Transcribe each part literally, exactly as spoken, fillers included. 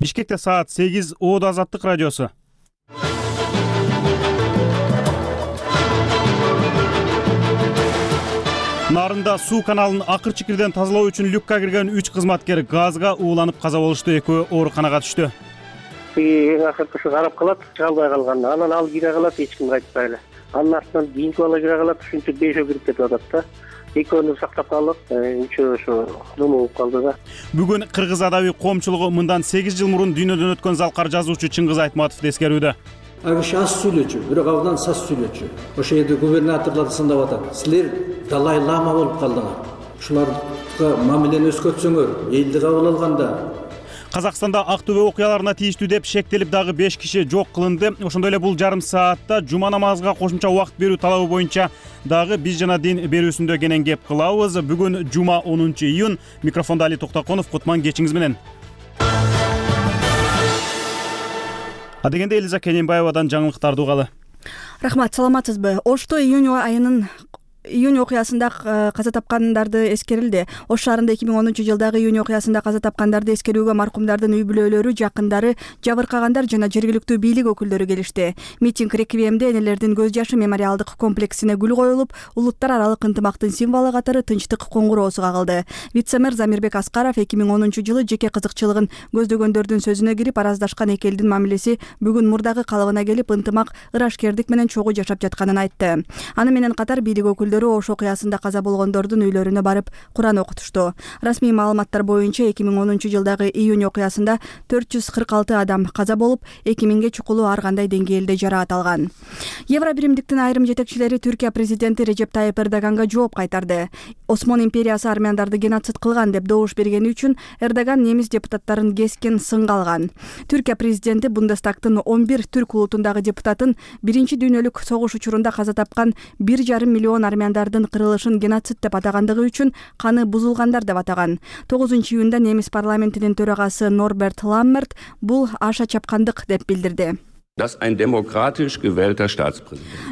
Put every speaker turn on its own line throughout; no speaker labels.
Бишкекте саат сегиз. Оодо Азаттык радиосу. Нарында суу каналын акыр-чикирден тазалоо үчүн люкка кирген үч кызматкер газга ууланып каза болушту. Экөө ооруканага түштү.
Эң акыркысы карап калат, чыга албай калган. Анан ал кире калат, эч кимге айтпай эле. Анын артынан кийинки бала кире калат, ушинтип бешөө кирип кетип атат да. Экөөнү сактап калдык, үчөө ошо ному болуп калды да.
Бүгүн Кыргыз адаби коомчулугу мындан сегиз жыл мурун дүйнөдөн өткөн залкар жазуучу Чыңгыз Айтматовду эскерүүдө.
Ал киши аз сүйлөчү, бирок абдан саз сүйлөчү. Ошол жерде губернаторлор сындап атат. Силер Далай Лама болуп калдыңар. Ушуларга мамилени өзгөртсөңөр, элди кабыл алганда.
Казакстанда Актөбө окуяларына тийиштүү деп шектелип дагы беш киши жок кылынды. Ошондой эле бул жарым саатта жума намазга кошумча убакыт берүү талабы боюнча дагы биз жана дин берүүсүндө кенен кеп кылабыз. Бүгүн жума онунчу июнь. Микрофондо Али Токтоконов. Кутман кечиңиз менен. Адегенде Элиза Кененбаевадан жаңылыктарды угалы.
Рахмат, саламатсызбы? Ошто июнь айынын июнь окуясында каза тапкандарды эскерилди. Ош шаарында эки миң онунчу жылдагы июнь окуясында каза тапкандарды эскерүүгө маркумдардын үй бүлөлөрү, жакындары, жабыркагандар жана жергиликтүү бийлик өкүлдөрү келишти. Митинг реквиемде энелердин көз жашы мемориалдык комплексине гүл коюлуп, улуттар аралык ынтымактын символу катары тынчтык коңгуроосу кагылды. Вице-мэр Замирбек Аскаров эки миң онунчу жылы жеке кызыкчылыгын көздөгөндөрдүн сөзүнө кирип, араздашкан эки элдин мамилеси бүгүн мурдагы калыбына келип, ынтымак, ырашкердик менен чогуу жашап жатканын айтты. Аны менен катар бийлик өкүлдөрү Ош окуясында каза болгондордун үйлөрүнө барып Куран окутушту. Расмий маалыматтар боюнча эки миң онунчу жылдагы июнь окуясында төрт жүз кырк алты адам каза болуп, эки миңге чукулу ар кандай деңгээлде жараат алган. Евробиримдиктин айрым жетекчилери Түркия президенти Режеп Тайып Эрдоганга жооп кайтарды. Осмон империясы армяндарды геноцид кылган деп добуш бергени үчүн Эрдоган немис депутаттарын кескен сынга алган. Түркия президенти Бундестагтын он бир түрк улутундагы депутатын биринчи дүйнөлүк согуш учурунда каза тапкан бир жарым миллион армян армяндардын кырылышын геноцид деп атагандыгы үчүн каны бузулгандар деп атаган. тогузунчу июнда немис парламентинин төрагасы Норберт Ламмерт бул аша чапкандык деп билдирди.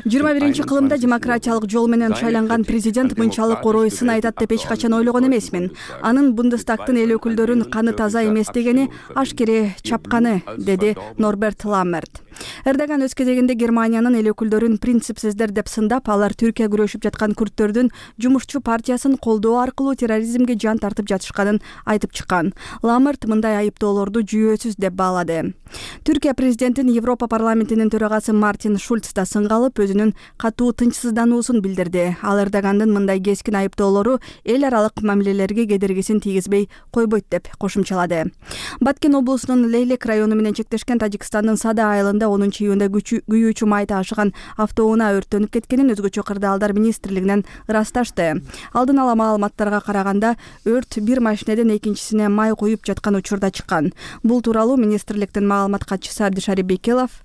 жыйырма биринчи кылымда демократиялык жол менен шайланган президент мынчалык орой сын айтат деп эч качан ойлогон эмесмин. Анын Бундестагтын эл өкүлдөрүн каны таза эмес дегени ашкере чапканы, деди Норберт Ламмерт. Эрдоган өз кезегинде Германиянын эл өкүлдөрүн принципсиздер деп сындап, алар Түркия күрөшүп жаткан күрттөрдүн жумушчу партиясын колдоо аркылуу терроризмге жан тартып жатышканын айтып чыккан. Ламмерт мындай айыптоолорду жүйөсүз деп баалады. Түркия президентин Европа парламентинин төрагасы Мартин Шульц да сынга алып, өзүнүн катуу тынчсыздануусун билдирди. Ал Эрдогандын мындай кескин айыптоолору эл аралык мамилелерге кедергисин тийгизбей койбойт деп кошумчалады. Баткен облусунун Лейлек району менен чектешкен Тажикстандын Сада айылында онунчу июнда күйүүчү май ташыган автоунаа өрттөнүп кеткенин өзгөчө кырдаалдар министрлигинен ырасташты. Алдын ала маалыматтарга караганда, өрт бир машинеден экинчисине май куюп жаткан учурда чыккан. Бул тууралуу министрликтин маалымат катчысы Абдишари Бекелов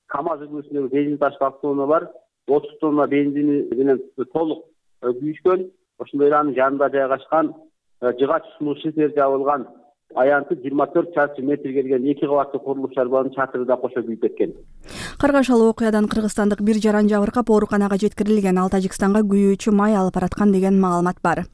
КамАЗ үлгүсүндөгү бензин ташкан автоунаа бар. отуз тонна бензини менен толук күйүшкөн. Ошондой эле анын жанында жайгашкан жыгач суу шифер жабылган аянты жыйырма төрт чарчы метр келген эки кабаттуу курулуш шарбанын чатыры да кошо күйүп кеткен.
Каргашалуу окуядан кыргызстандык бир жаран жабыркап ооруканага жеткирилген. Ал Тажикстанга күйүүчү май алып бараткан деген маалымат бар.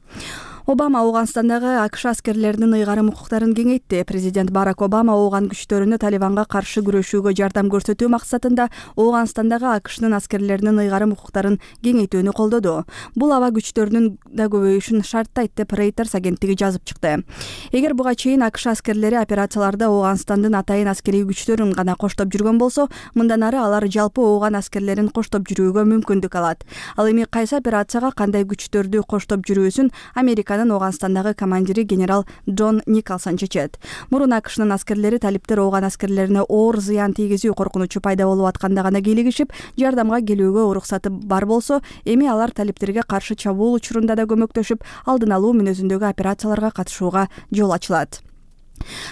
Обама Афганистандагы АКШ аскерлеринин ыйгарым укуктарын кеңейтти. Президент Барак Обама Афган күчтөрүнө Талибанга каршы күрөшүүгө жардам көрсөтүү максатында Афганистандагы АКШнын аскерлеринин ыйгарым укуктарын кеңейтүүнү колдоду. Бул аба күчтөрүнүн да көбөйүшүн шарттайт деп Reuters агенттиги жазып чыкты. Эгер буга чейин АКШ аскерлери операцияларда Афганистандын атайын аскерий күчтөрүн гана коштоп жүргөн болсо, мындан ары алар жалпы Афган аскерлерин коштоп жүрүүгө мүмкүндүк алат. Ал эми кайсы операцияга кандай күчтөрдү коштоп жүрүүсүн Америка Афганистандагы командири генерал Джон Николсон чечет. Мурун АКШнын аскерлери талиптер Афган аскерлерине оор зыян тийгизүү коркунучу пайда болуп атканда гана кийлигишип, жардамга келүүгө уруксаты бар болсо, эми алар талиптерге каршы чабуул учурунда да көмөктөшүп, алдын алуу мүнөзүндөгү операцияларга катышууга жол ачылат.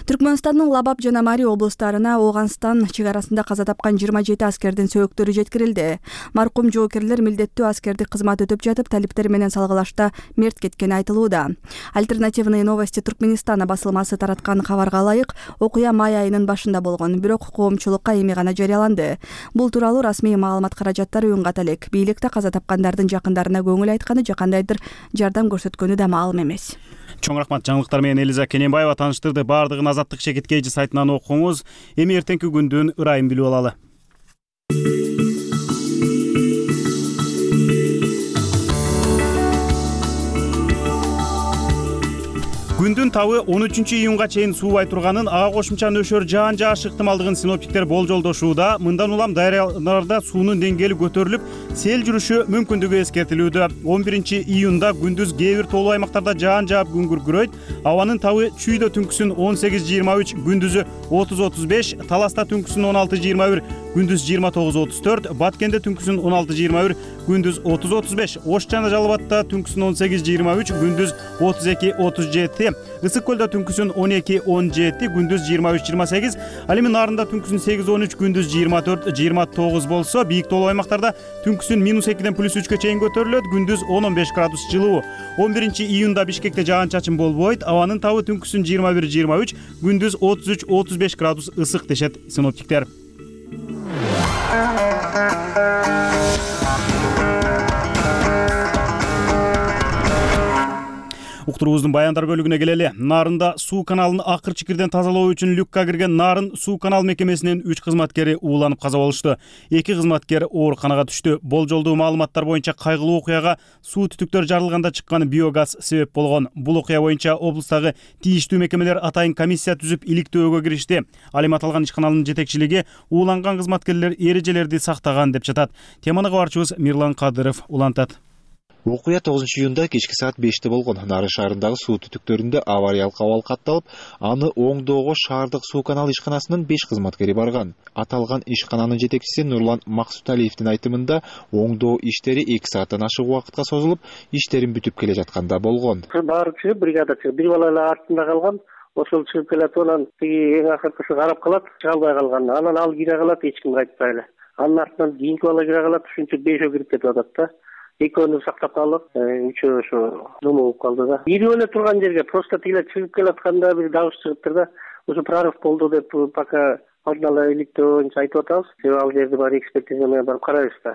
Түркмөнстандын Лабаб жана Мари облустарына Афганистан чегарасында каза тапкан жыйырма жети аскердин сөөктөрү жеткирилди. Маркум жоокерлер милдеттүү аскердик кызмат өтөп жатып, талиптер менен салгылашта мерт кеткени айтылууда. Альтернативные новости Туркменистана басылмасы тараткан кабарга ылайык, окуя май айынын башында болгон, бирок коомчулукка эми гана жарыяланды. Бул тууралуу расмий маалымат каражаттары үн ката элек. Бийликте каза тапкандардын жакындарына көңүл айтканы, жакандайдыр жардам көрсөткөнү да маалым эмес.
Чоң рахмат. Жаңылыктар менен Элиза Кененбаева тааныштырды. Баардыгын Азаттык Шекеткейчи сайтынан окуңуз. Эми эртеңки күндүн ырайын билип алалы. Күндүн табы он үчүнчү июнга чейин суубай турганын, ага кошумча нөшөр жаан жаашы ыктымалдыгын синоптиктер болжолдошууда. Мындан улам дарыяларда суунун деңгээли көтөрүлүп, сел жүрүшү мүмкүндүгү эскертилүүдө. он биринчи июнда күндүз кээ бир тоолуу аймактарда жаан жаап күн күркүрөйт. Абанын табы Чүйдө түнкүсүн он сегиз жыйырма үч, күндүзү отуз отуз беш, Таласта түнкүсүн он алты жыйырма бир, күндүз жыйырма тогуз отуз төрт, Баткенде түнкүсүн он алты жыйырма бир, күндүз отуз отуз беш, Ош жана Жалал Абадта түнкүсүн он сегиз жыйырма үч, күндүз отуз эки отуз жети, Ысык көлдө түнкүсүн он эки он жети, күндүз жыйырма үч жыйырма сегиз, ал эми Нарында түнкүсүн сегиз он үч, күндүз жыйырма төрт жыйырма тогуз болсо, бийик тоолуу аймактарда түнкүсүн минус экиден плюс үчкө чейин көтөрүлөт, күндүз он он беш градус жылуу. он биринчи июнда Бишкекте жаан-чачын болбойт, абанын табы түнкүсүн жыйырма бир жыйырма үч, күндүз отуз үч отуз беш градус ысык дешет синоптиктер. Уктуруубуздун баяндар бөлүгүнө келели. Нарында суу каналын акырчы кирден тазалоо үчүн люкка кирген Нарын суу канал мекемесинин үч кызматкери ууланып каза болушту. Эки кызматкер ооруканага түштү. Болжолдуу маалыматтар боюнча кайгылуу окуяга суу түтүктөр жарылганда чыккан биогаз себеп болгон. Бул окуя боюнча облустагы тийиштүү мекемелер атайын комиссия түзүп иликтөөгө киришти. Ал эми аталган ишканалын жетекчилиги ууланган кызматкерлер эрежелерди сактаган деп жатат. Теманы кабарчыбыз Мирлан Кадыров улантат.
Окуя тогузунчу июнда кечки саат беште болгон. Нарын шаарындагы суу түтүктөрүндө авариялык абал катталып, аны оңдоого шаардык суу канал ишканасынын беш кызматкери барган. Аталган ишкананын жетекчиси Нурлан Максуталиевдин айтымында, оңдоо иштери эки сааттан ашык убакытка созулуп, иштерин бүтүп келе жатканда болгон.
Баары чыгып, бригада чыгып, бир бала эле артында калган. Ошол чыгып келет, анан тиги эң акыркысы карап калат, чыга албай калган. Анан ал кире калат, эч ким кайтпай эле. Анын артынан кийинки бала кире калат, ушинтип бешөө кирип кетип атат да. Экөөнү сактап калдык, үчөө ошо нема болуп калды да. Ирип эле турган жерге просто тигиле чыгып келатканда бир дабыш чыгыптыр да. Ошо прорыв болду деп пока алдын ала иликтөө боюнча айтып атабыз. Себеби ал жерди баары экспертиза менен барып карайбыз да.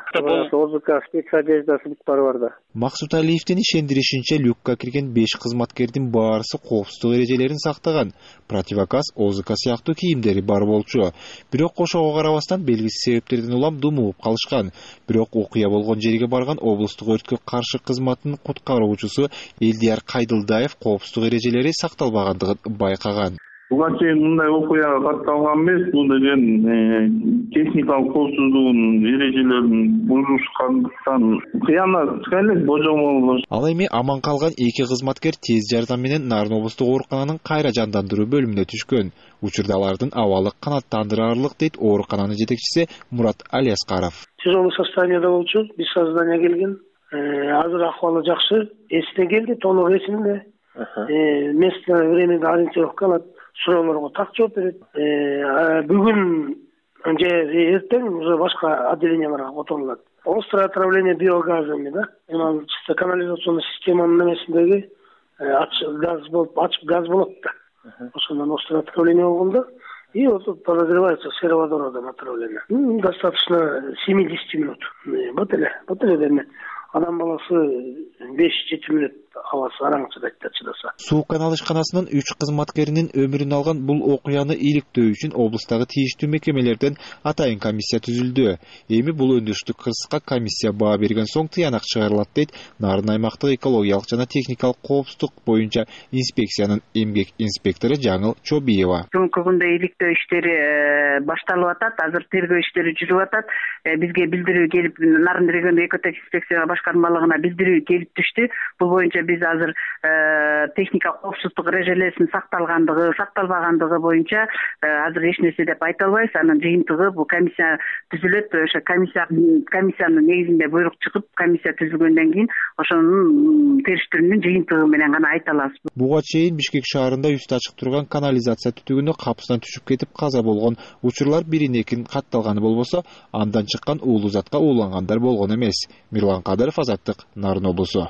ОЗК спецодеждасы бүт баары бар да.
Максуталиевдин ишендиришинче, люкка кирген беш кызматкердин баарысы коопсуздук эрежелерин сактаган. Противогаз, ОЗК сыяктуу кийимдери бар болчу. Бирок ошого карабастан белгисиз себептерден улам думуп калышкан. Бирок окуя болгон жерге барган облустук өрткө каршы кызматтын куткаруучусу Элдияр Кайдылдаев коопсуздук эрежелери сакталбагандыгын байкаган.
Буга чейин мындай окуя катталган эмес. Бул деген техникалык коопсуздугунун эрежелерин бузушкандыктан кыянат элек божомол.
Ал эми аман калган эки кызматкер тез жардам менен Нарын облустук оорукананын кайра жандандыруу бөлүмүнө түшкөн. Учурда алардын абалы канааттандырарлык, дейт оорукананын жетекчиси Мурат Алиаскаров.
Тяжелый состояниеда болчу, без сознания келген. Азыр акыбалы жакшы, эсине келди, толук эсинде. Место, времени ориентировка алат. Суроолорго так жооп берет. Бүгүн же эртең уже башка отделенияларга которулат. Острое отравление биогазами, да? Мына чисто канализационный системанын немесиндеги газ болуп, ачык газ болот да. Ошондон острое отравление болгондо и вот подозревается сероводородом отравление. Достаточно семьдесят минут. Вот эле, вот эле деме. Адам баласы беш жети мүнөт абасы араң чыдайт да чыдаса.
Суу канал ишканасынын үч кызматкеринин өмүрүн алган бул окуяны иликтөө үчүн облустагы тийиштүү мекемелерден атайын комиссия түзүлдү. Эми бул өндүрүштүк кырсыкка комиссия баа берген соң тыянак чыгарылат, дейт Нарын аймактык экологиялык жана техникалык коопсуздук боюнча инспекциянын эмгек инспектору Жаңыл Чобиева.
Бүгүнкү күндө иликтөө иштери башталып атат, азыр тергөө иштери жүрүп атат. Бизге билдирүү келип, Нарын региондук экотехинспекция башкармалыгына билдирүү келип түштү. Бул боюнча биз азыр техника коопсуздук эрежелеринин сакталгандыгы, сакталбагандыгы боюнча азыр эч нерсе деп айта албайбыз. Анын жыйынтыгы бул комиссия түзүлөт. Ошо комиссия комиссиянын негизинде буйрук чыгып, комиссия түзүлгөндөн кийин ошонун териштирүүнүн жыйынтыгы менен гана айта алабыз.
Буга чейин Бишкек шаарында үстү ачык турган канализация түтүгүнө капыстан түшүп кетип каза болгон учурлар бирин экин катталганы болбосо, андан чыккан уулуу затка уулангандар болгон эмес. Мирлан Кадыров, Азаттык, Нарын облусу.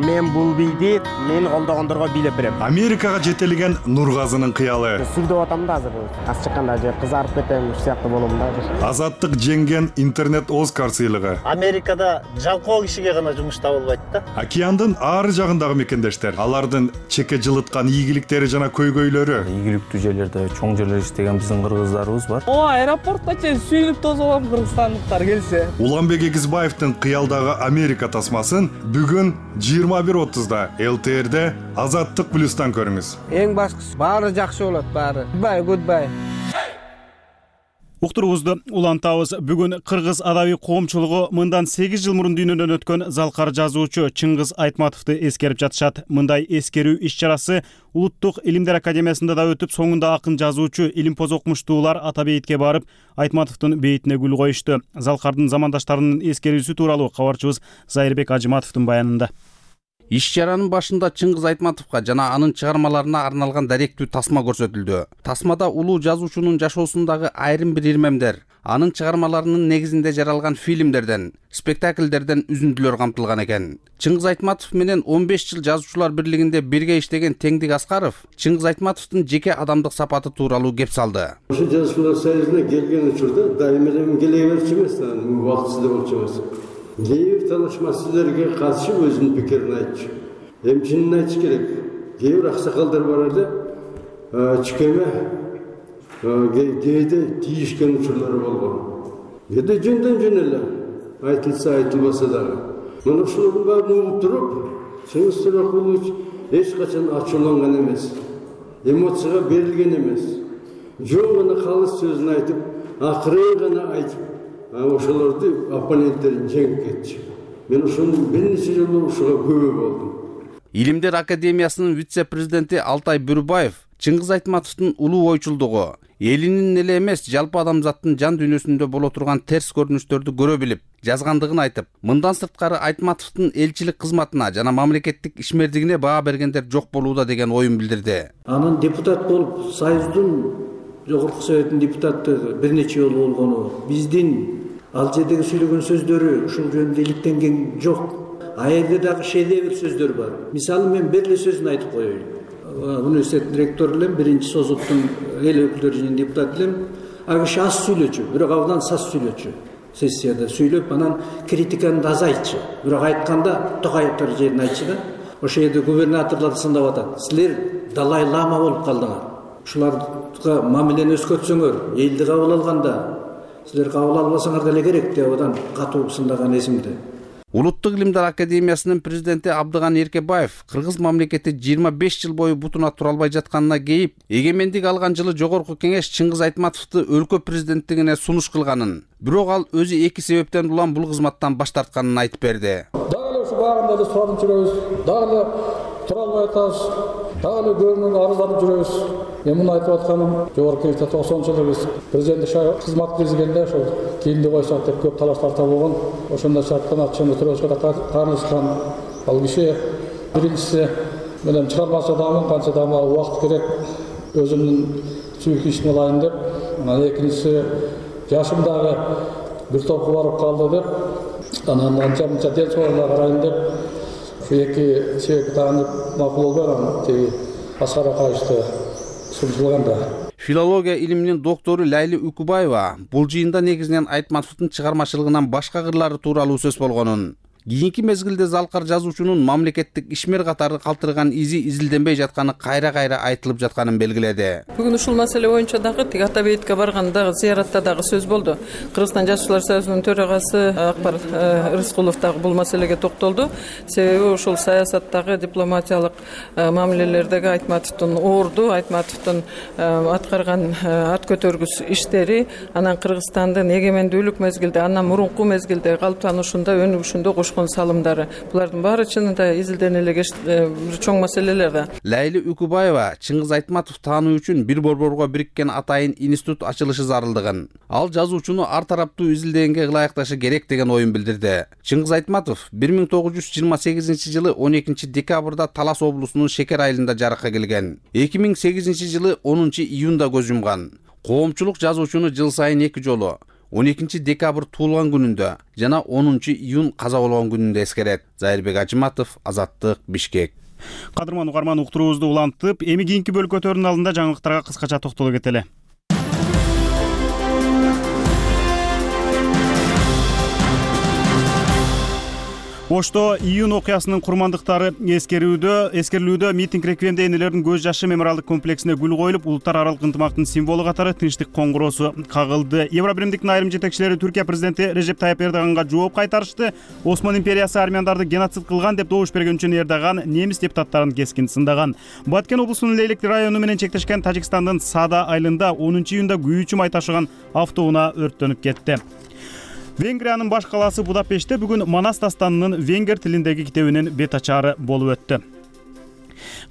Мен бул бул бийди мен колдогондорго бийлеп берем.
Америкага жетелеген Нургазынын кыялы.
Сүрдөп атам да азыр. Аз чыкканда же кызарып кетем, ушул сыяктуу болом да.
Азаттык жеңген интернет Оскар сыйлыгы.
Америкада жалкоо кишиге гана жумуш табылбайт да.
Океандын ары жагындагы мекендештер, алардын чеке жылыткан ийгиликтери жана көйгөйлөрү.
Ийгиликтүү жерлерде, чоң жерлерде иштеген биздин кыргыздарыбыз бар.
О, аэропортто чейин сүйүнүп тосуп алам кыргызстандыктар келсе.
Уланбек Эгизбаевдин кыялдагы Америка тасмасын бүгүн жыйырма бир отузда эл ти эрде Азаттык плюстан көрүңүз.
Эң башкысы баары жакшы болот, баары. Goodbye, goodbye.
Уктурубузду улантабыз. Бүгүн кыргыз адабий коомчулугу мындан сегиз жыл мурун дүйнөдөн өткөн залкар жазуучу Чыңгыз Айтматовду эскерип жатышат. Мындай эскерүү иш-чарасы Улуттук илимдер академиясында да өтүп, соңунда акын жазуучу, илимпоз окумуштуулар ата бейитке барып, Айтматовдун бейитине гүл коюшту. Залкардын замандаштарынын эскерүүсү тууралуу кабарчыбыз Зайырбек Ажыматовдун баянында.
Иш-чаранын башында Чыңгыз Айтматовго жана анын чыгармаларына арналган даректүү тасма көрсөтүлдү. Тасмада улуу жазуучунун жашоосундагы айрым бир ирмемдер, анын чыгармаларынын негизинде жаралган фильмдерден, спектакльдерден үзүндүлөр камтылган экен. Чыңгыз Айтматов менен он беш жыл жазуучулар бирлигинде бирге иштеген Теңдик Аскаров Чыңгыз Айтматовдун жеке адамдык сапаты тууралуу кеп салды.
Ошо жазуучулар союзуна келген учурда дайыма эле келе берчү эмес, убактысында болчу эмес. Кээ бир талашмачыларга катышып өзүнүн пикирин айтчу. Эми чынын айтыш керек. Кээ бир аксакалдар бар эле, чүкеме кээде тийишкен учурлары болгон. Кээде жөндөн жөн эле айтылса айтылбаса дагы. Мына ошолордун баарын угуп туруп, Чыңгыз Туракулович эч качан ачууланган эмес, эмоцияга берилген эмес. Жөн гана калыс сөзүн айтып, акырын гана айтып, ошолорду оппоненттерин жеңип кетчү. Мен ошону бир нече жолу ушуга күбө болдум.
Илимдер академиясынын вице-президенти Алтай Бүрүбаев Чыңгыз Айтматовдун улуу ойчулдугу, элинин эле эмес, жалпы адамзаттын жан дүйнөсүндө боло турган терс көрүнүштөрдү көрө билип, жазгандыгын айтып, мындан сырткары Айтматовдун элчилик кызматына жана мамлекеттик ишмердигине баа бергендер жок болууда деген оюн билдирди.
Анын депутат болуп, Союздун Жогорку Советтин депутаты бир нече жолу болгону, биздин ал жердеги сүйлөгөн сөздөрү ушул жөнүндө иликтенген жок. А жерде дагы шедевр сөздөр бар. Мисалы мен бир эле сөзүн айтып коеюн. Университеттин ректору элем, биринчи созуттун эл өкүлдөрү жыйынынын депутаты элем. Ал киши аз сүйлөчү, бирок абдан саз сүйлөчү. Сессияда сүйлөп, анан критиканы да азайтчу. Бирок айтканда Токаевдер жерин айтчу да. Ошол жерде губернаторлор сындап атат. Силер Далай Лама болуп калдыңар. Ушуларга мамилени өзгөртсөңөр, элди кабыл алганда силер кабыл албасаңар деле керек деп одан катуу сындаган эсимде.
Улуттук илимдер академиясынын президенти Абдыган Эркебаев кыргыз мамлекети жыйырма беш жыл бою бутуна тура албай жатканына кейип, эгемендик алган жылы Жогорку Кеңеш Чыңгыз Айтматовду өлкө президенттигине сунуш кылганын, бирок ал өзү эки себептен улам бул кызматтан баш тартканын айтып берди.
Дагы эле ушу багында эле суранып жүрөбүз, дагы эле тура албай атабыз, дагы эле көбүнөн арызданып жүрөбүз. Мен муну айтып атканым, Жогорку Кеңеште токсонунчу жылы биз президенттик кызмат киргизгенде ошол кийинди койсок деп көп талаш тарта болгон. Ошондо шарттан атчаны төрөбүзгө да каарылышкан. Ал киши биринчиси менен чыгармачы адамын, канча дама убакыт керек өзүмдүн сүйүктүү ишиме алайын деп. Анан экинчиси жашым дагы бир топко барып калды деп. Анан анча мынча ден соолугуна карайын деп. Ушу эки себепти таанып макул болбой анан тиги Аскар Акаевди сунушулганда.
Филология илиминин доктору Лайли Үкүбаева бул жыйында негизинен Айтматовдун чыгармачылыгынан башка кырлары тууралуу сөз болгонун, кийинки мезгилде залкар жазуучунун мамлекеттик ишмер катары калтырган изи изилденбей жатканы кайра-кайра айтылып жатканын белгиледи.
Бүгүн ушул маселе боюнча дагы тиги ата бейитке барганда зыяратта дагы сөз болду. Кыргызстан жазуучулар союзунун төрагасы Акбар Рыскулов дагы бул маселеге токтолду. Себеби ушул саясаттагы дипломатиялык мамилелердеги Айтматовдун орду, Айтматовдун аткарган ат көтөргүс иштери, анан Кыргызстандын эгемендүүлүк мезгилде, андан мурунку мезгилде калыптанышында, өнүгүшүндө салымдары. Булардын баары чынында изилдене эле чоң маселелер да.
Лайли Үкүбаева Чыңгыз Айтматов таануу үчүн бир борборго бириккен атайын институт ачылышы зарылдыгын, ал жазуучуну ар тараптуу изилдегенге ылайыкташы керек деген оюн билдирди. Чыңгыз Айтматов бир миң тогуз жүз жыйырма сегизинчи жылы он экинчи декабрда Талас облусунун Шекер айылында жаракка келген. эки миң сегизинчи жылы онунчу июнда көз жумган. Коомчулук жазуучуну жыл сайын эки жолу он экинчи декабрь туулган күнүндө жана онунчу июнь каза болгон күнүндө эскерет. Зайырбек Ажыматов, Азаттык, Бишкек.
Кадырман угарман, уктуруубузду улантып, эми кийинки бөлүккө өтөрүнүн алдында жаңылыктарга кыскача токтоло кетели. Ошто июнь окуясынын курмандыктары эскерүүдө эскерилүүдө митинг реквиемде энелердин көз жашы мемориалдык комплексине гүл коюлуп, улуттар аралык ынтымактын символу катары тынчтык коңгуроосу кагылды. Евробиримдиктин айрым жетекчилери Түркия президенти Режеп Тайып Эрдоганга жооп кайтарышты. Осман империясы армяндарды геноцид кылган деп добуш берген үчүн Эрдоган немис депутаттарын кескин сындаган. Баткен облусунун Лейлек району менен чектешкен Тажикстандын Сада айылында онунчу июнда күйүүчү май ташыган автоунаа өрттөнүп кетти. Венгриянын баш калаасы Будапештте бүгүн Манас дастанынын венгер тилиндеги китебинин бет ачаары болуп өттү.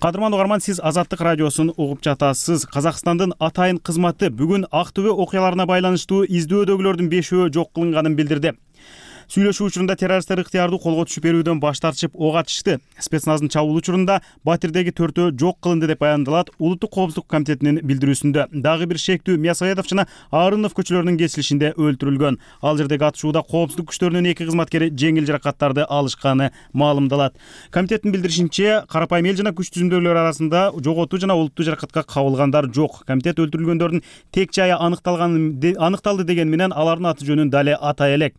Кадырман угарман, сиз Азаттык радиосун угуп жатасыз. Казакстандын атайын кызматы бүгүн Ак Төбө окуяларына байланыштуу издөөдөгүлөрдүн бешөө жок кылынганын билдирди. Сүйлөшүү учурунда террористтер ыктыярдуу колго түшүп берүүдөн баш тартышып ок атышты. Спецназдын чабуул учурунда Батирдеги төртөө жок кылынды деп баяндалат Улуттук коопсуздук комитетинин билдирүүсүндө. Дагы бир шектүү Мясоедов жана Арынов көчөлөрүнүн кесилишинде өлтүрүлгөн. Ал жердеги атышууда коопсуздук күчтөрүнүн эки кызматкери жеңил жаракаттарды алышканы маалымдалат. Комитеттин билдиришинче, карапайым эл жана күч түзүмдүүлөр арасында жоготуу жана олуттуу жаракатка кабылгандар жок. Комитет өлтүрүлгөндөрдүн тек жайы аныкталган аныкталды деген менен алардын аты жөнүн дале атай элек.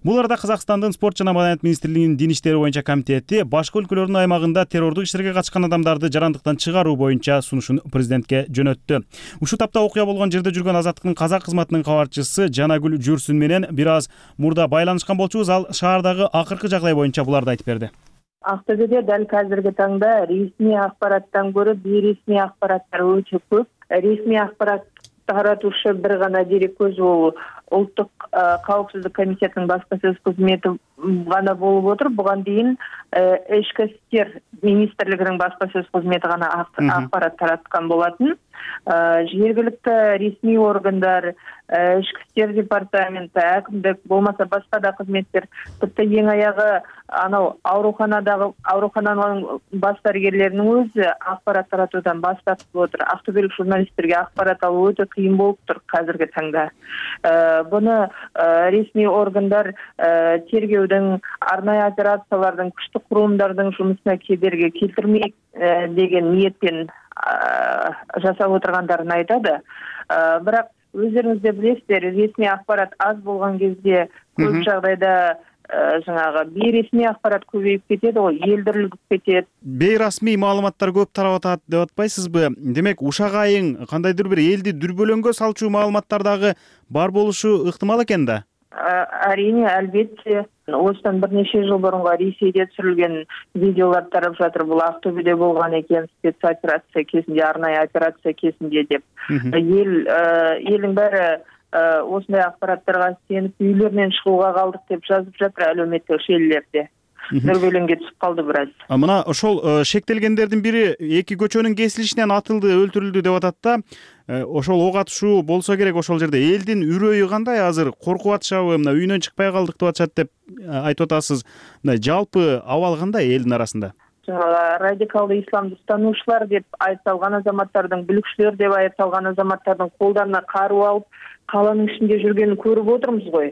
Бул арада Казакстандын спорт жана маданият министрлигинин дин иштери боюнча комитети башка өлкөлөрдүн аймагында террордук иштерге катышкан адамдарды жарандыктан чыгаруу боюнча сунушун президентке жөнөттү. Ушул тапта окуя болгон жерде жүргөн Азаттыктын казак кызматынын кабарчысы Жанагүл Жүрсүн менен бир аз мурда байланышкан болчубуз. Ал шаардагы акыркы жагдай боюнча буларды айтып берди.
Актөбөдө дал азыркы таңда ресми акпараттан көрө бейресми акпараттар өтө көп. Ресми акпарат таратушы бир гана дерек көзү бул Улуттук коопсуздук комитетинин баспасөз кызмети гана болуп отур. Буга дейин Ички иштер министрлигинин баспасөз кызмети гана акпарат тараткан болотун. Жергиликтүү ресми органдар, Ички иштер департаменти, акимдик, болмаса башка да кызметтер, типти эң аягы анау ооруканадагы оорукананын баш дарыгерлеринин өзү акпарат таратуудан баш тартып отур. Актөбөлүк журналисттерге акпарат алуу өтө кыйын болуп тур азыркы таңда. Буну ресми органдар тергөөдүн, арнайы операциялардын, күчтүү курумдардын жумусуна кедерги келтирмейт деген ниеттен жасап отургандарын айтады. Бирок өздөрүңүз да билесиздер, ресми акпарат аз болгон кезде көп жагдайда жаңагы бейресми акпарат көбөйүп кетет, ой, элдирлип кетет.
Бейрасмий маалыматтар көп тарап атат деп атпайсызбы? Демек, ушак айын кандайдыр бир элди дүрбөлөңгө салчу маалыматтар дагы бар болушу ыктымал экен да?
Әрине, албетте. Осыдан бир нече жыл мурунга Ресейде түшүрүлгөн видеолар тарап жатыр. Бул Актөбөдө болгон экен, спецоперация кезинде, арнайы операция кезинде деп. Эл элдин баары осындай акпараттарга сенип үйлөрүнөн чыгууга калдык деп жазып жатыр әлеуметтик желилерде. Дүрбөлөңгө түшүп калды бир аз.
Мына ошол шектелгендердин бири эки көчөнүн кесилишинен атылды, өлтүрүлдү деп атат да. Ошол ок атышуу болсо керек ошол жерде. Элдин үрөйү кандай азыр? Коркуп атышабы? Мына үйүнөн чыкпай калдык деп атышат деп айтып атасыз. Мына жалпы абал кандай элдин арасында?
Радикалдуу исламды устануучулар деп айыпталган азаматтардын, бүлүкчүлөр деп айыпталган азаматтардын колдарына каруу алып, каланын ичинде жүргөнүн көрүп отурмуз го.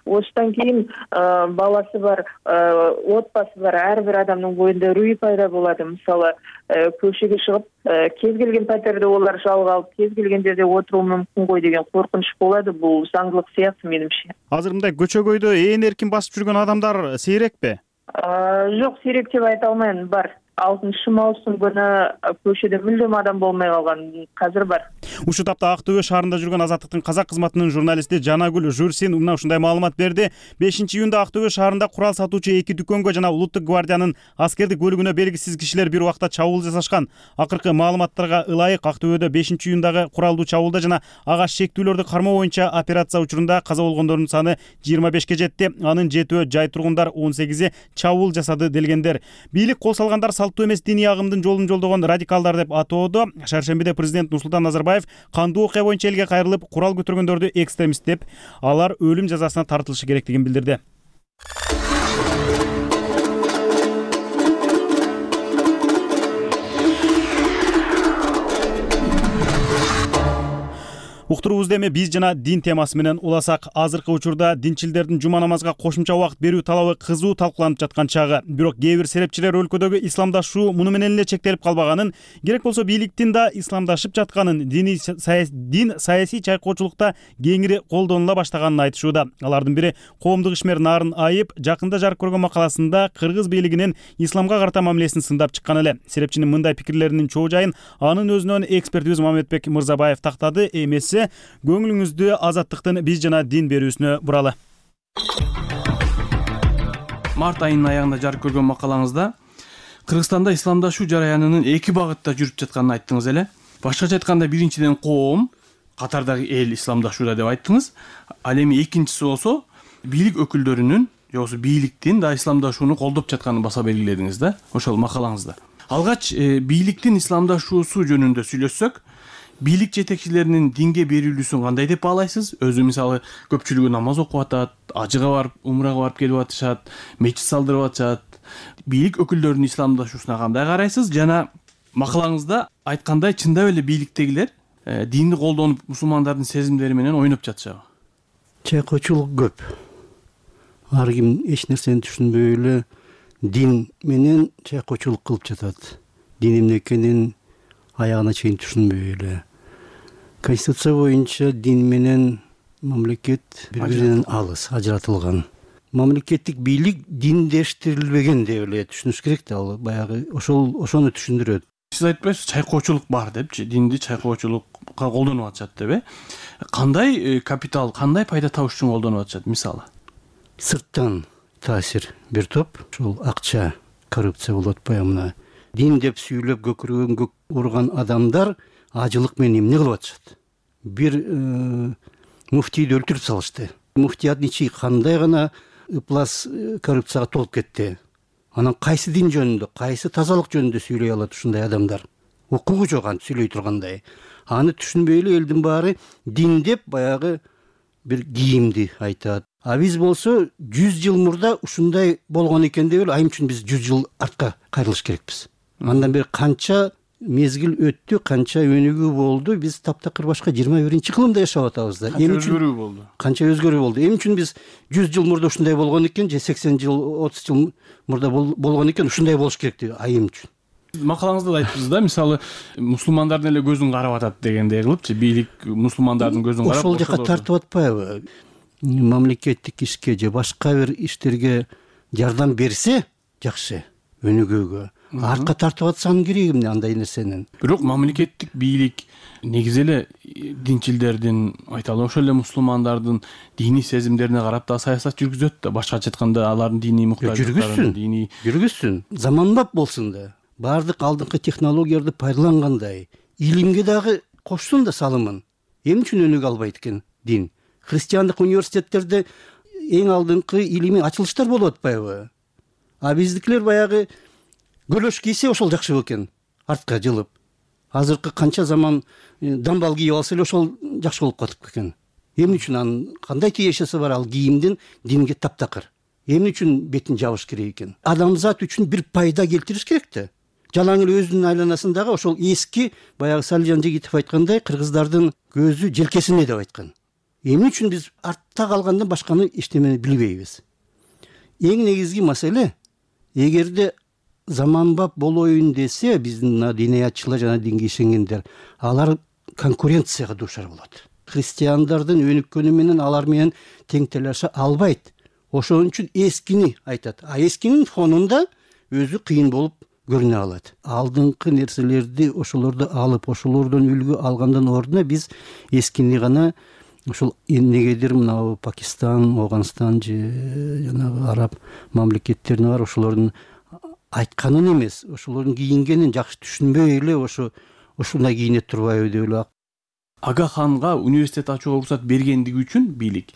Осудан кийин баласы бар, отбасы бар ар бир адамдын боюнда үрөй пайда болот. Мисалы, көчөгө чыгып, кез келген патерде олар жалга алып, кез келген жерде отуруу мүмкүн го деген коркунуч болот. Бул заңдылык сыяктуу менимче.
Азыр мындай көчөгөйдө ээн эркин басып жүргөн адамдар сейрекпи?
Жок, сейрек деп айта алмайм, бар. алтынчы маусым күнү көчөдө мүлдөм адам болмой калган, азыр бар.
Ушул тапта Ак Төбө шаарында жүргөн Азаттыктын казак кызматынын журналисти Жанагүл Жүрсүн мына ушундай маалымат берди. бешинчи июнда Ак Төбө шаарында курал сатуучу эки дүкөнгө жана Улуттук гвардиянын аскердик бөлүгүнө белгисиз кишилер бир убакта чабуул жасашкан. Акыркы маалыматтарга ылайык Ак Төбөдө бешинчи июндагы куралдуу чабуулда жана ага шектүүлөрдү кармоо боюнча операция учурунда каза болгондордун саны жыйырма бешке жетти. Анын жетөө жай тургундар, он сегизи чабуул жасады делгендер. Бийлик кол салгандар салттуу эмес диний агымдын жолун жолдогон радикалдар деп атоодо. Шаршембиде президент Нурсултан Назарбаев кандуу окуя боюнча элге кайрылып, курал көтөргөндөрдү экстремист деп, алар өлүм жазасына тартылышы керектигин билдирди. Уктуруубузду эми биз жана дин темасы менен уласак. Азыркы учурда динчилдердин жума намазга кошумча убакыт берүү талабы кызуу талкууланып жаткан чагы. Бирок кээ бир серепчилер өлкөдөгү исламдашуу муну менен эле чектелип калбаганын, керек болсо бийликтин да исламдашып жатканын, дини дин саясий чайкоочулукта кеңири колдонула баштаганын айтышууда. Алардын бири коомдук ишмер Нарын Айып жакында жарык көргөн макаласында кыргыз бийлигинин исламга карата мамилесин сындап чыккан эле. Серепчинин мындай пикирлеринин чоо жайын анын өзүнөн экспертибиз Мамедбек Мырзабаев тактады. Эмеси көңүлүңүздү Азаттыктын биз жана дин берүүсүнө буралы.
Март айынын аягында жарык көргөн макалаңызда Кыргызстанда исламдашуу жараянынын эки багытта жүрүп жатканын айттыңыз эле. Башкача айтканда, биринчиден коом, катардагы эл исламдашууда деп айттыңыз. Ал эми экинчиси болсо бийлик өкүлдөрүнүн, же болбосо бийликтин да исламдашууну колдоп жатканын баса белгиледиңиз да, ошол макалаңызда. Алгач бийликтин исламдашуусу жөнүндө сүйлөшсөк, бийлик жетекчилеринин динге берилүүсүн кандай деп баалайсыз? Өзү мисалы көпчүлүгү намаз окуп атат, ажыга барып, умрага барып келип атышат, мечит салдырып атышат. Бийлик өкүлдөрүнүн исламдашуусуна кандай карайсыз? Жана макалаңызда айткандай, чындап эле бийликтегилер динди колдонуп, мусулмандардын сезимдери менен ойноп жатышабы?
Чайкоочулук көп. Ар ким эч нерсени түшүнбөй эле дин менен чайкоочулук кылып жатат. Дин эмне экенин аягына чейин түшүнбөй эле. Конституция боюнча дин менен мамлекет бири-биринен алыс, ажыратылган. Мамлекеттик бийлик диндештирилбеген деп эле түшүнүш керек да, ал баягы ошол ошону түшүндүрөт.
Сиз айтпайсыз, чайкоочулук бар депчи, динди чайкоочулукка колдонуп атышат деп э? Кандай капитал, кандай пайда табыш үчүн колдонуп атышат мисалы?
Сырттан таасир бир топ, ошол акча, коррупция болуп атпайбы мына. Дин деп сүйлөп көкүрөгөн көк урган адамдар ажылык менен эмне кылып атышат? Бир муфтийди өлтүрүп салышты. Муфтият ичи кандай гана ыплас коррупцияга толуп кетти. Анан кайсы дин жөнүндө, кайсы тазалык жөнүндө сүйлөй алат ушундай адамдар? Укугу жок аны сүйлөй тургандай. Аны түшүнбөй эле элдин баары дин деп баягы бир кийимди айтат. А биз болсо жүз жыл мурда ушундай болгон экен деп эле, айым үчүн биз жүз жыл артка кайрылыш керекпиз. Андан бери канча мезгил өттү, канча өнүгүү болду, биз таптакыр башка жыйырма биринчи кылымда жашап атабыз да.
Канча өзгөрүү болду?
Канча өзгөрүү болду. Эмне үчүн биз жүз жыл мурда ушундай болгон экен, же сексен жыл, отуз жыл мурда болгон экен, ушундай болуш керек деп айым үчүн.
Макалаңызда да айттыңыз да, мисалы мусулмандардын эле көзүн карап атат дегендей кылыпчы, бийлик мусулмандардын көзүн карап
ошол жака тартып атпайбы? Мамлекеттик ишке же башка бир иштерге жардам берсе жакшы, өнүгүүгө. Артка тартып атсанын кереги эмне андай нерсенин?
Бирок мамлекеттик бийлик негизи эле динчилдердин, айталы ошол эле мусулмандардын диний сезимдерине карап да саясат жүргүзөт да. Башкача айтканда, алардын диний муктаждыктарын,
диний жүргүзсүн, заманбап болсун да. Бардык алдыңкы технологияларды пайдалангандай, илимге дагы кошсун да салымын. Эмне үчүн өнүгө албайт экен дин? Христиандык университеттерде эң алдыңкы илимий ачылыштар болуп атпайбы? А биздикилер баягы көлөш кийсе ошол жакшы экен, артка жылып. Азыркы канча заман дамбал кийип алса эле ошол жакшы болуп катып экен. Эмне үчүн анын кандай тиешеси бар ал кийимдин динге таптакыр? Эмне үчүн бетин жабыш керек экен? Адамзат үчүн бир пайда келтириш керек да. Жалаң эле өзүнүн айланасындагы ошол эски, баягы Салижан Жигитов айткандай, кыргыздардын көзү желкесине деп айткан. Эмне үчүн биз артта калгандан башканы эчтемени билбейбиз? Эң негизги маселе, эгерде заманбап болоюн десе, биздин диниятчылар жана динге ишенгендер, алар конкуренцияга дуушар болот. Христиандардын өнүккөнү менен алар менен тең талаша албайт. Ошон үчүн эскини айтат. А эскинин фонунда өзү кыйын болуп көрүнө алат. Алдыңкы нерселерди ошолорду алып, ошолордон үлгү алгандан ордуна биз эскини гана ошол эмнегедир мына Пакистан, Афганистан же жанагы араб мамлекеттерине бар, ошолордун айтканын эмес, ошолордун кийингенин жакшы түшүнбөй эле ошо ушундай кийине турбайбы деп эле.
Ага ханга университет ачууга уруксат бергендиги үчүн бийлик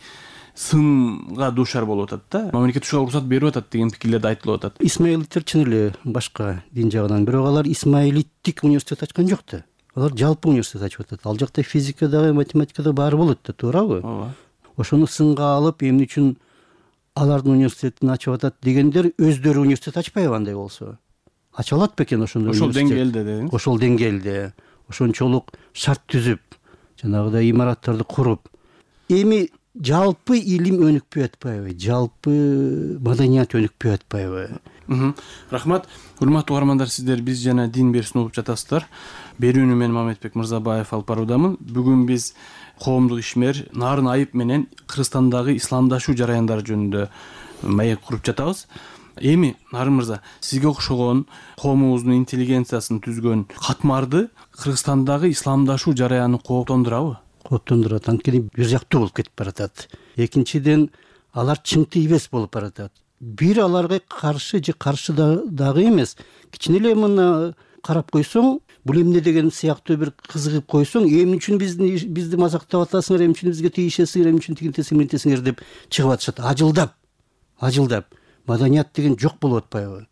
сынга дуушар болуп атат да. Мамлекет ушуга уруксат берип атат деген пикирлерди айтылып атат.
Исмаилиттер чын эле башка дин жагынан, бирок алар исмаилиттик университет ачкан жок да. Алар жалпы университет ачып атат. Ал жакта физикадагы, математикадагы баары болот да, туурабы?
Ооба.
Ошону сынга алып, эмне үчүн алардын университетин ачып атат дегендер өздөрү университет ачпайбы андай болсо? Ача алат бекен ошондой
ошол
университет?
деңгээлде дедиңиз?
Ошол деңгээлде, ошончолук шарт түзүп, жанагыдай имараттарды куруп, эми жалпы илим өнүкпөй атпайбы, жалпы маданият өнүкпөй атпайбы?
Рахмат. Урматтуу угармандар, сиздер Биз жана дин берүүсүн угуп жатасыздар. Берүүнү мен Мамедбек Мырзабаев алып баруудамын. Бүгүн биз коомдук ишмер Нарын Айып менен Кыргызстандагы исламдашуу жараяндары жөнүндө маек куруп жатабыз. Эми Нарын мырза, сизге окшогон коомубуздун интеллигенциясын түзгөн катмарды Кыргызстандагы исламдашуу жараяны кооптондурабы?
Кооптондурат. Анткени бир жактуу болуп кетип баратат. Экинчиден, алар чың тийбес болуп баратат. Бир аларга каршы же каршы дагы эмес, кичине эле мына карап койсоң, бул эмне деген сыяктуу бир кызыгып койсоң, эмне үчүн бизди бизди мазактап атасыңар, эмне үчүн бизге тийишесиңер, эмне үчүн тигинтесиңер, мынтесиңер деп чыгып атышат. Ажылдап, ажылдап. Маданият деген жок болуп атпайбы?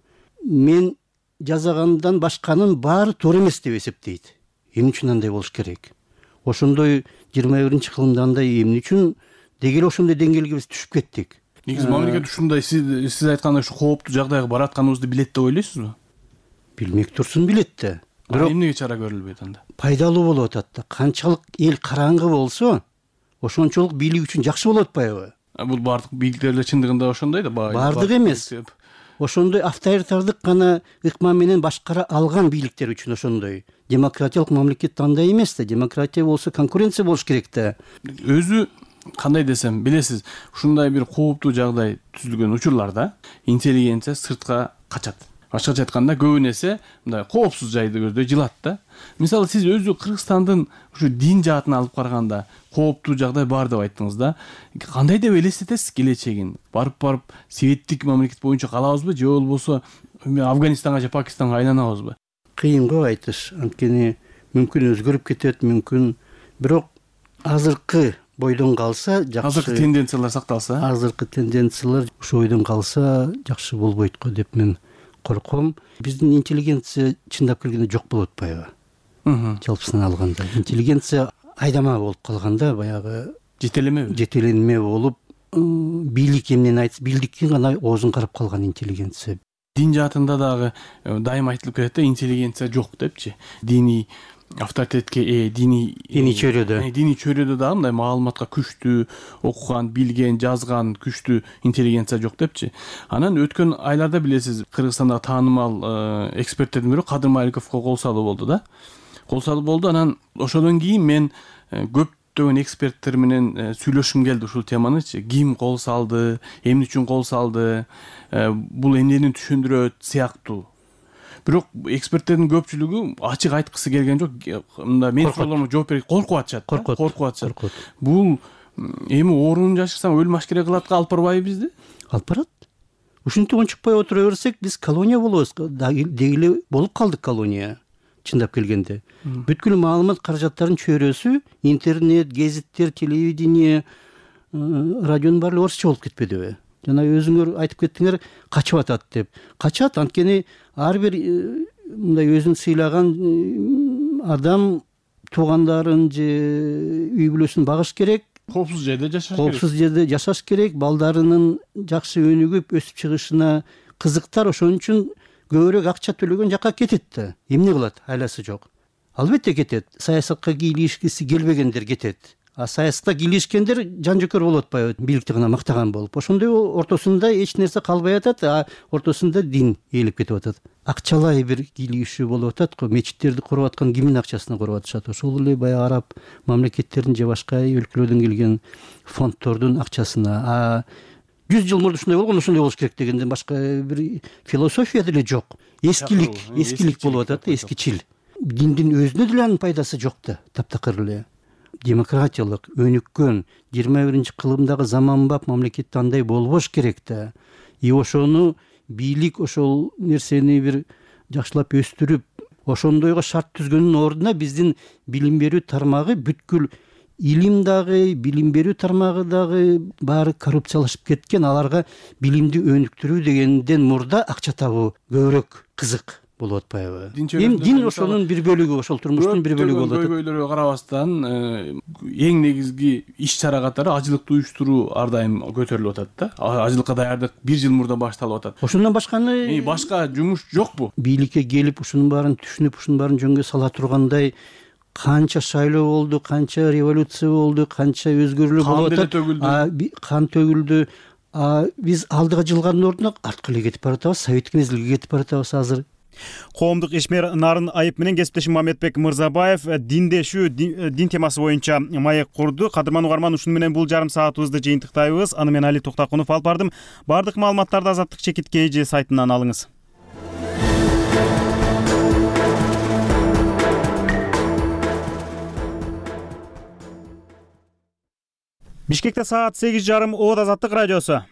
Мен жасагандан башканын баары туура эмес деп эсептейт. Эмне үчүн андай болуш керек? Ошондой жыйырма биринчи кылымда андай эмне үчүн дегеле ошондой деңгээлге биз түшүп кеттик?
Негизи мамлекет ушундай сиз сиз айткандай ушу кооптуу жагдайга баратканыбызды билет деп ойлойсузбу?
Билмек турсун, билет да.
Бирок эмнеге чара көрүлбөйт анда?
Пайдалуу болуп атат да. Канчалык эл караңгы болсо, ошончолук бийлик үчүн жакшы болуп атпайбы?
Бул бардык бийликтер эле чындыгында ошондой да,
бардык эмес. Ошондой авторитардык гана ыкма менен башкара алган бийликтер үчүн ошондой. Демократиялык мамлекет андай эмес да. Демократия болсо конкуренция болуш керек да.
Өзү кандай десем, билесиз, ушундай бир кооптуу жагдай түзүлгөн учурларда интеллигенция сыртка качат. Башкача айтканда, көбүн эсе мындай коопсуз жайды көздөй жылат да. Мисалы, сиз өзү Кыргызстандын ушу дин жаатына алып караганда кооптуу жагдай бар деп айттыңыз да. Кандай деп элестетесиз келечегин? Барып-барып светтик мамлекет боюнча калабызбы, же болбосо Афганистанга же Пакистанга айланабызбы?
Кыйын го айтыш. Анткени мүмкүн өзгөрүп кетет, мүмкүн. Бирок азыркы бойдон калса жакшы.
Азыркы тенденциялар сакталса?
Азыркы тенденциялар ушу бойдон калса жакшы болбойт го деп мен корком. Биздин интеллигенция чындап келгенде жок болуп атпайбы? Жалпысынан алганда. Интеллигенция айдама болуп калганда, баягы
жетелеме
жетеленме болуп, бийлик эмнени айтса, бийликтин гана оозун карап калган интеллигенция.
Дин жаатында дагы дайыма айтылып келет да, интеллигенция жок депчи. Диний авторитетке ээ, диний
диний чөйрөдө
диний чөйрөдө дагы мындай маалыматка күчтүү, окуган, билген, жазган, күчтүү интеллигенция жок депчи. Анан өткөн айларда билесиз, Кыргызстандагы таанымал эксперттердин бири Кадыр Маликовго кол салуу болду да. Кол салуу болду. Анан ошодон кийин мен көптөгөн эксперттер менен сүйлөшкүм келди ушул теманычы. Ким кол салды, эмне үчүн кол салды, бул эмнени түшүндүрөт сыяктуу. Бирок эксперттердин көпчүлүгү ачык айткысы келген жок. Мында мен суроолорума жооп берип коркуп атышат. Коркуп атышат. Бул эми оорунун жашырсаң өлүм ашкере кылатка алып барбайбы бизди?
Алып барат. Ушинтип унчукпай отура берсек, биз колония болобуз. Дегеле болуп калдык колония. Чындап келгенде. Бүткүл маалымат каражаттарынын чөйрөсү интернет, гезиттер, телевидение, радионун баары орусча болуп кетпедиби? Жана өзүңөр айтып кеттиңер, качып атат деп. Качат, анткени ар бир мындай өзүн сыйлаган адам туугандарын же үй бүлөсүн багыш керек.
Коопсуз жерде жашаш керек.
Коопсуз жерде жашаш керек. Балдарынын жакшы өнүгүп өсүп чыгышына кызыктар, ошон үчүн көбүрөөк акча төлөгөн жакка кетет да. Эмне кылат? Айласы жок. Албетте кетет. Саясатка кийлигишкиси келбегендер кетет. А саясатта кийлигишкендер жан-жөкөр болуп атпайбы, бийликти гана мактаган болуп. Ошондой ортосунда эч нерсе калбай атат, а ортосунда дин ээлеп кетип атат. Акчалай бир кийлигишүү болуп атат го. Мечиттерди куруп аткан кимдин акчасына куруп атышат? Ошол эле баягы араб мамлекеттердин же башка өлкөлөрдөн келген фонддордун акчасына. А жүз жыл мурда ушундай болгон, ушундай болуш керек дегенден башка бир философия деле жок. Эскилик, эскилик болуп атат, эскичил. Диндин өзүнө деле анын пайдасы жок да, таптакыр эле. Демократиялык, өнүккөн жыйырма биринчи кылымдагы заманбап мамлекетте андай болбош керек да. И ошону бийлик ошол нерсени бир жакшылап өстүрүп, ошондойго шарт түзгөндүн ордуна биздин билим берүү тармагы бүткүл илим дагы, билим берүү тармагы дагы баары коррупциялашып кеткен. Аларга билимди өнүктүрүү дегенден мурда акча табуу көбүрөөк кызык болуп атпайбы? Эми дин ошонун бир бөлүгү, ошол турмуштун бир бөлүгү болуп атат.
Көйгөйлөргө карабастан эң негизги иш чара катары ажылыкты уюштуруу ар дайым көтөрүлүп атат да. Ажылыкка даярдык бир жыл мурда башталып атат.
Ошондон башканы
башка жумуш жокпу?
Бийликке келип ушунун баарын түшүнүп, ушунун баарын жөнгө сала тургандай канча шайлоо болду, канча революция болду, канча өзгөрүүлөр болуп атат.
Кан деле төгүлдү.
Кан төгүлдү. Биз алдыга жылгандын ордуна артка эле кетип баратабыз, советтик мезгилге кетип баратабыз азыр.
Коомдук ишмер Нарын Айып менен кесиптешим Мамедбек Мырзабаев диндешүү дин темасы боюнча маек курду. Кадырман угарман, ушуну менен бул жарым саатыбызды жыйынтыктайбыз. Аны мен Али Токтакунов алып бардым. Бардык маалыматтарды Азаттык чекит kg сайтынан алыңыз. Бишкекте саат сегиз жарым. Оот Азаттык радиосу.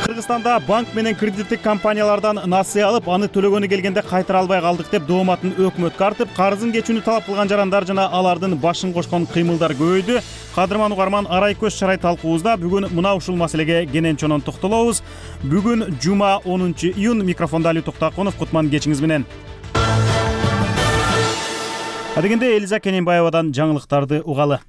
Кыргызстанда банк менен кредиттик компаниялардан насыя алып, аны төлөгөнү келгенде кайтара албай калдык деп дооматын өкмөткө артып, карызын кечүүнү талап кылган жарандар жана алардын башын кошкон кыймылдар көбөйдү. Кадырман угарман, арай көз чарай талкуубузда бүгүн мына ушул маселеге кенен чонон токтолобуз. Бүгүн жума онунчу июнь. Микрофонда Али Токтакунов. Кутман кечиңиз менен. Адегенде Элиза Кененбаевадан жаңылыктарды угалы.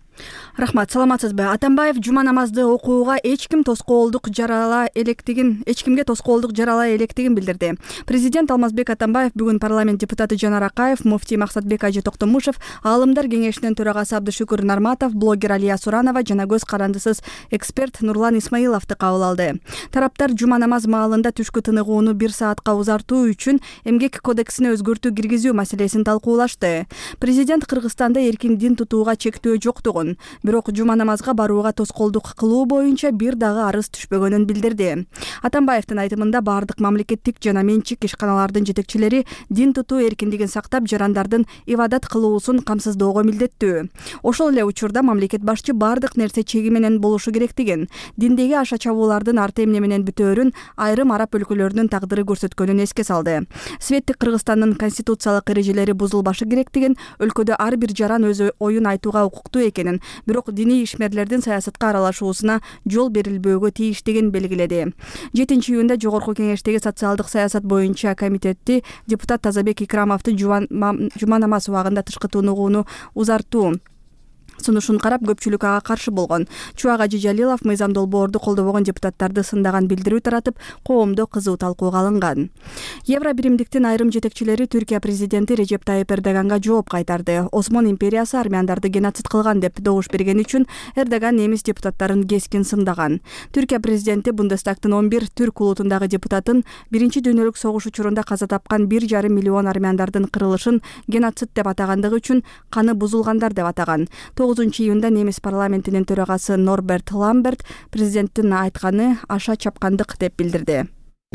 Рахмат, саламатсызбы? Атамбаев жума намазды окууга эч ким тоскоолдук жарала электигин, эч кимге тоскоолдук жарала электигин билдирди. Президент Алмазбек Атамбаев бүгүн парламент депутаты Жанар Акаев, муфтий Максатбек Ажы Токтомушев, аалымдар кеңешинин төрагасы Абдышүкүр Нарматов, блогер Алия Суранова жана көз карандысыз эксперт Нурлан Исмаиловду кабыл алды. Тараптар жума намаз маалында түшкү тыныгууну бир саатка узартуу үчүн эмгек кодексине өзгөртүү киргизүү маселесин талкуулашты. Президент Кыргызстанда эркин дин тутууга чектөө жоктугун, бирок жума намазга барууга тоскоолдук кылуу боюнча бир дагы арыз түшпөгөнүн билдирди. Атамбаевдин айтымында бардык мамлекеттик жана менчик ишканалардын жетекчилери дин тутуу эркиндигин сактап, жарандардын ибадат кылуусун камсыздоого милдеттүү. Ошол эле учурда мамлекет башчы бардык нерсе чеги менен болушу керектигин, диндеги аша чабуулардын арты эмне менен бүтөөрүн айрым араб өлкөлөрүнүн тагдыры көрсөткөнүн эске салды. Светтик Кыргызстандын конституциялык эрежелери бузулбашы керектигин, өлкөдө ар бир жаран өз оюн айтууга укуктуу экенин, бирок диний ишмерлердин саясатка аралашуусуна жол берилбөөгө тийиштигин белгиледи. жетинчи июнда Жогорку Кеңештеги социалдык саясат боюнча комитети депутат Тазабек Икрамовдун жума намаз убагында тышкы тыныгууну узартуу сунушун карап, көпчүлүк ага каршы болгон. Чубак Ажы Жалилов мыйзам долбоорду колдобогон депутаттарды сындаган билдирүү таратып, коомдо кызуу талкууга алынган. Евро биримдиктин айрым жетекчилери Түркия президенти Режеп Тайып Эрдоганга жооп кайтарды. Осмон империясы армяндарды геноцид кылган деп добуш берген үчүн Эрдоган немис депутаттарын кескин сындаган. Түркия президенти Бундестагтын он бир түрк улутундагы депутатын биринчи дүйнөлүк согуш учурунда каза тапкан бир жарым миллион армяндардын кырылышын геноцид деп атагандыгы үчүн каны бузулгандар деп атаган. тогузунчу июнда немис парламентинин төрагасы Норберт Ламберт президенттин айтканы аша чапкандык деп билдирди.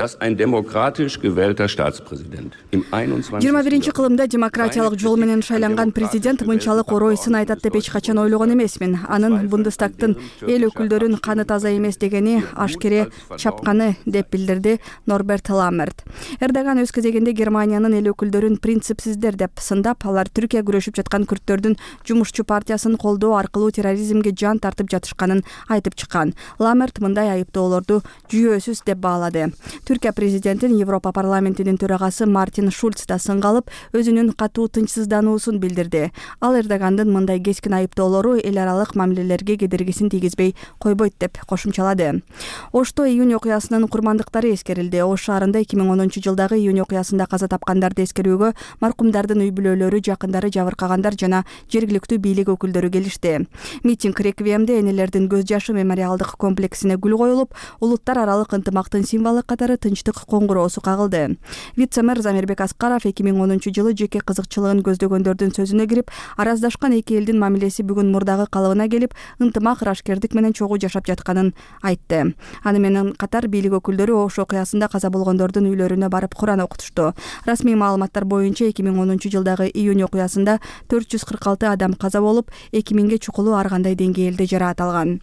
dass ein demokratisch gewählter Staatspräsident im einundzwanzigsten
жыйырма биринчи кылымда демократиялык жол менен шайланган президент мынчалык оройсын айтат деп эч качан ойлогон эмесмин. Анын Бундестагтын эл өкүлдөрүн каны таза эмес дегени ашкере чапканы деп билдирди Норберт Ламберт. Эрдоган өз кезегинде Германиянын эл өкүлдөрүн принципсиздер деп сындап, алар Түркия күрөшүп жаткан күрттөрдүн жумушчу партиясын колдоо аркылуу терроризмге жан тартып жатышканын айтып чыккан. Ламберт мындай айыптоолорду жүйөсүз деп баалады. Түркия президентин Европа парламентинин төрагасы Мартин Шульц да сынга алып, өзүнүн катуу тынчсыздануусун билдирди. Ал Эрдогандын мындай кескин айыптоолору эл аралык мамилелерге кедергисин тийгизбей койбойт деп кошумчалады. Ошто июнь окуясынын курмандыктары эскерилди. Ош шаарында эки миң онунчу жылдагы июнь окуясында каза тапкандарды эскерүүгө маркумдардын үй бүлөлөрү, жакындары, жабыркагандар жана жергиликтүү бийлик өкүлдөрү келишти. Митинг реквиемде энелердин көз жашы мемориалдык комплексине гүл коюлуп, улуттар аралык ынтымактын символу катары тынчтык коңгуроосу кагылды. Вице-мэр Замирбек Аскаров эки миң онунчу жылы жеке кызыкчылыгын көздөгөндөрдүн сөзүнө кирип, араздашкан эки элдин мамилеси бүгүн мурдагы калыбына келип, ынтымак, ырашкердик менен чогуу жашап жатканын айтты. Аны менен катар бийлик өкүлдөрү Ош окуясында каза болгондордун үйлөрүнө барып Куран окутушту. Расмий маалыматтар боюнча эки миң онунчу жылдагы июнь окуясында төрт жүз кырк алты адам каза болуп, эки миңге чукулу ар кандай деңгээлде жараат алган.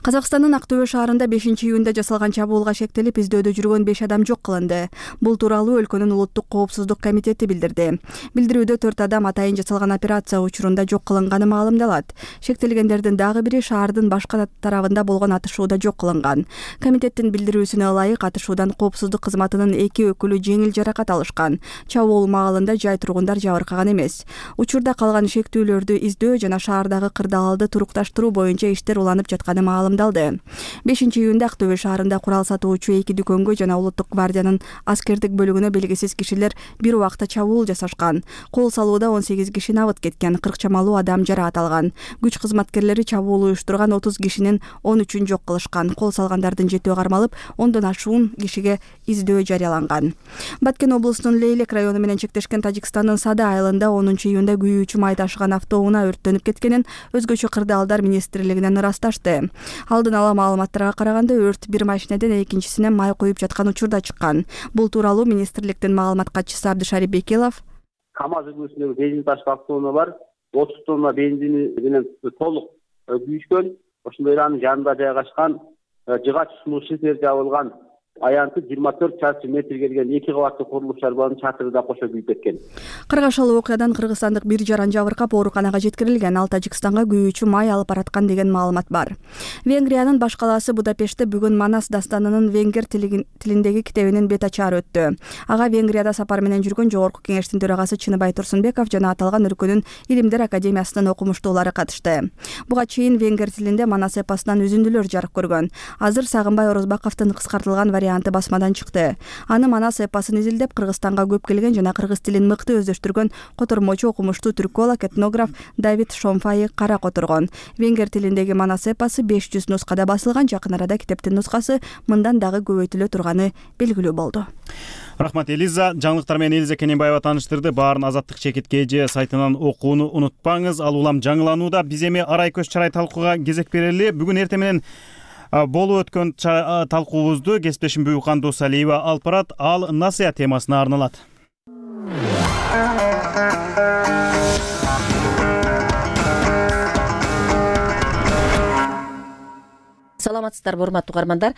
Казакстандын Актөбө шаарында бешинчи июнда жасалган чабуулга шектелип, издөөдө жүргөн беш адам жок кылынды. Бул тууралуу өлкөнүн улуттук коопсуздук комитети билдирди. Билдирүүдө төрт адам атайын жасалган операция учурунда жок кылынганы маалымдалат. Шектелгендердин дагы бири шаардын башка тарабында болгон атышууда жок кылынган. Комитеттин билдирүүсүнө ылайык, атышуудан коопсуздук кызматынын эки өкүлү жеңил жаракат алышкан. Чабуул маалында жай тургундар жабыркаган эмес. Учурда калган шектүүлөрдү издөө жана шаардагы кырдаалды турукташтыруу боюнча иштер уланып жаткан турганы маалымдалды. бешинчи июнда Ак Төбө шаарында курал сатуучу эки дүкөнгө жана Улуттук гвардиянын аскердик бөлүгүнө белгисиз кишилер бир убакта чабуул жасашкан. Кол салууда он сегиз киши набыт кеткен, кырк чамалуу адам жараат алган. Күч кызматкерлери чабуул уюштурган отуз кишинин он үчүн жок кылышкан. Кол салгандардын жетөө кармалып, ондон ашуун кишиге издөө жарыяланган. Баткен облусунун Лейлек району менен чектешкен Тажикстандын Сада айылында онунчу июнда күйүүчү май ташыган автоунаа өрттөнүп кеткенин өзгөчө кырдаалдар министрлигинен ырасташты. Алдын ала маалыматтарга караганда өрт бир машинеден экинчисине май куюп жаткан учурда чыккан. Бул тууралуу министрликтин маалымат катчысы Абдышарип Бекелов
КамАЗ үлгүсүндөгү бензин ташкан автоунаа бар. отуз тонна бензини менен толук күйүшкөн. Ошондой эле анын жанында жайгашкан жыгач суу шифер жабылган аянты жыйырма төрт чарчы метр келген эки кабаттуу курулуш шарбанын чатыры да кошо күйүп кеткен.
Кыргашалы окуядан кыргызстандык бир жаран жабыркап ооруканага жеткирилген. Ал Тажикстанга күйүүчү май алып бараткан деген маалымат бар. Венгриянын баш калаасы Будапештте бүгүн Манас дастанынын венгер тилиндеги китебинин бет ачаары өттү. Ага Венгрияда сапар менен жүргөн Жогорку Кеңештин төрагасы Чыныбай Турсунбеков жана аталган өлкөнүн Илимдер академиясынын окумуштуулары катышты. Буга чейин венгер тилинде Манас эпосунан үзүндүлөр жарык көргөн. Азыр Сагынбай Орозбаковдун кыскартылган варианты басмадан чыкты. Аны Манас эпосын изилдеп Кыргызстанга көп келген жана кыргыз тилин мыкты өздөштүргөн котормочу окумуштуу түрколог, этнограф Давид Шомфай кара которгон. Венгер тилиндеги Манас эпосу беш жүз нускада басылган. Жакын арада китептин нускасы мындан дагы көбөйтүлө турганы белгилүү болду.
Рахмат Элиза. Жаңылыктар менен Элиза Кененбаева тааныштырды. Баарын Азаттык чекит кж сайтынан окууну унутпаңыз. Ал улам жаңыланууда. Биз эми арай көз чарай талкууга кезек берели. Бүгүн эртең менен болуп өткөн талкуубузду кесиптешим Буюкан Досалиева алып барат. Ал насыя темасына арналат.
Саламатсыздарбы, урматтуу угармандар.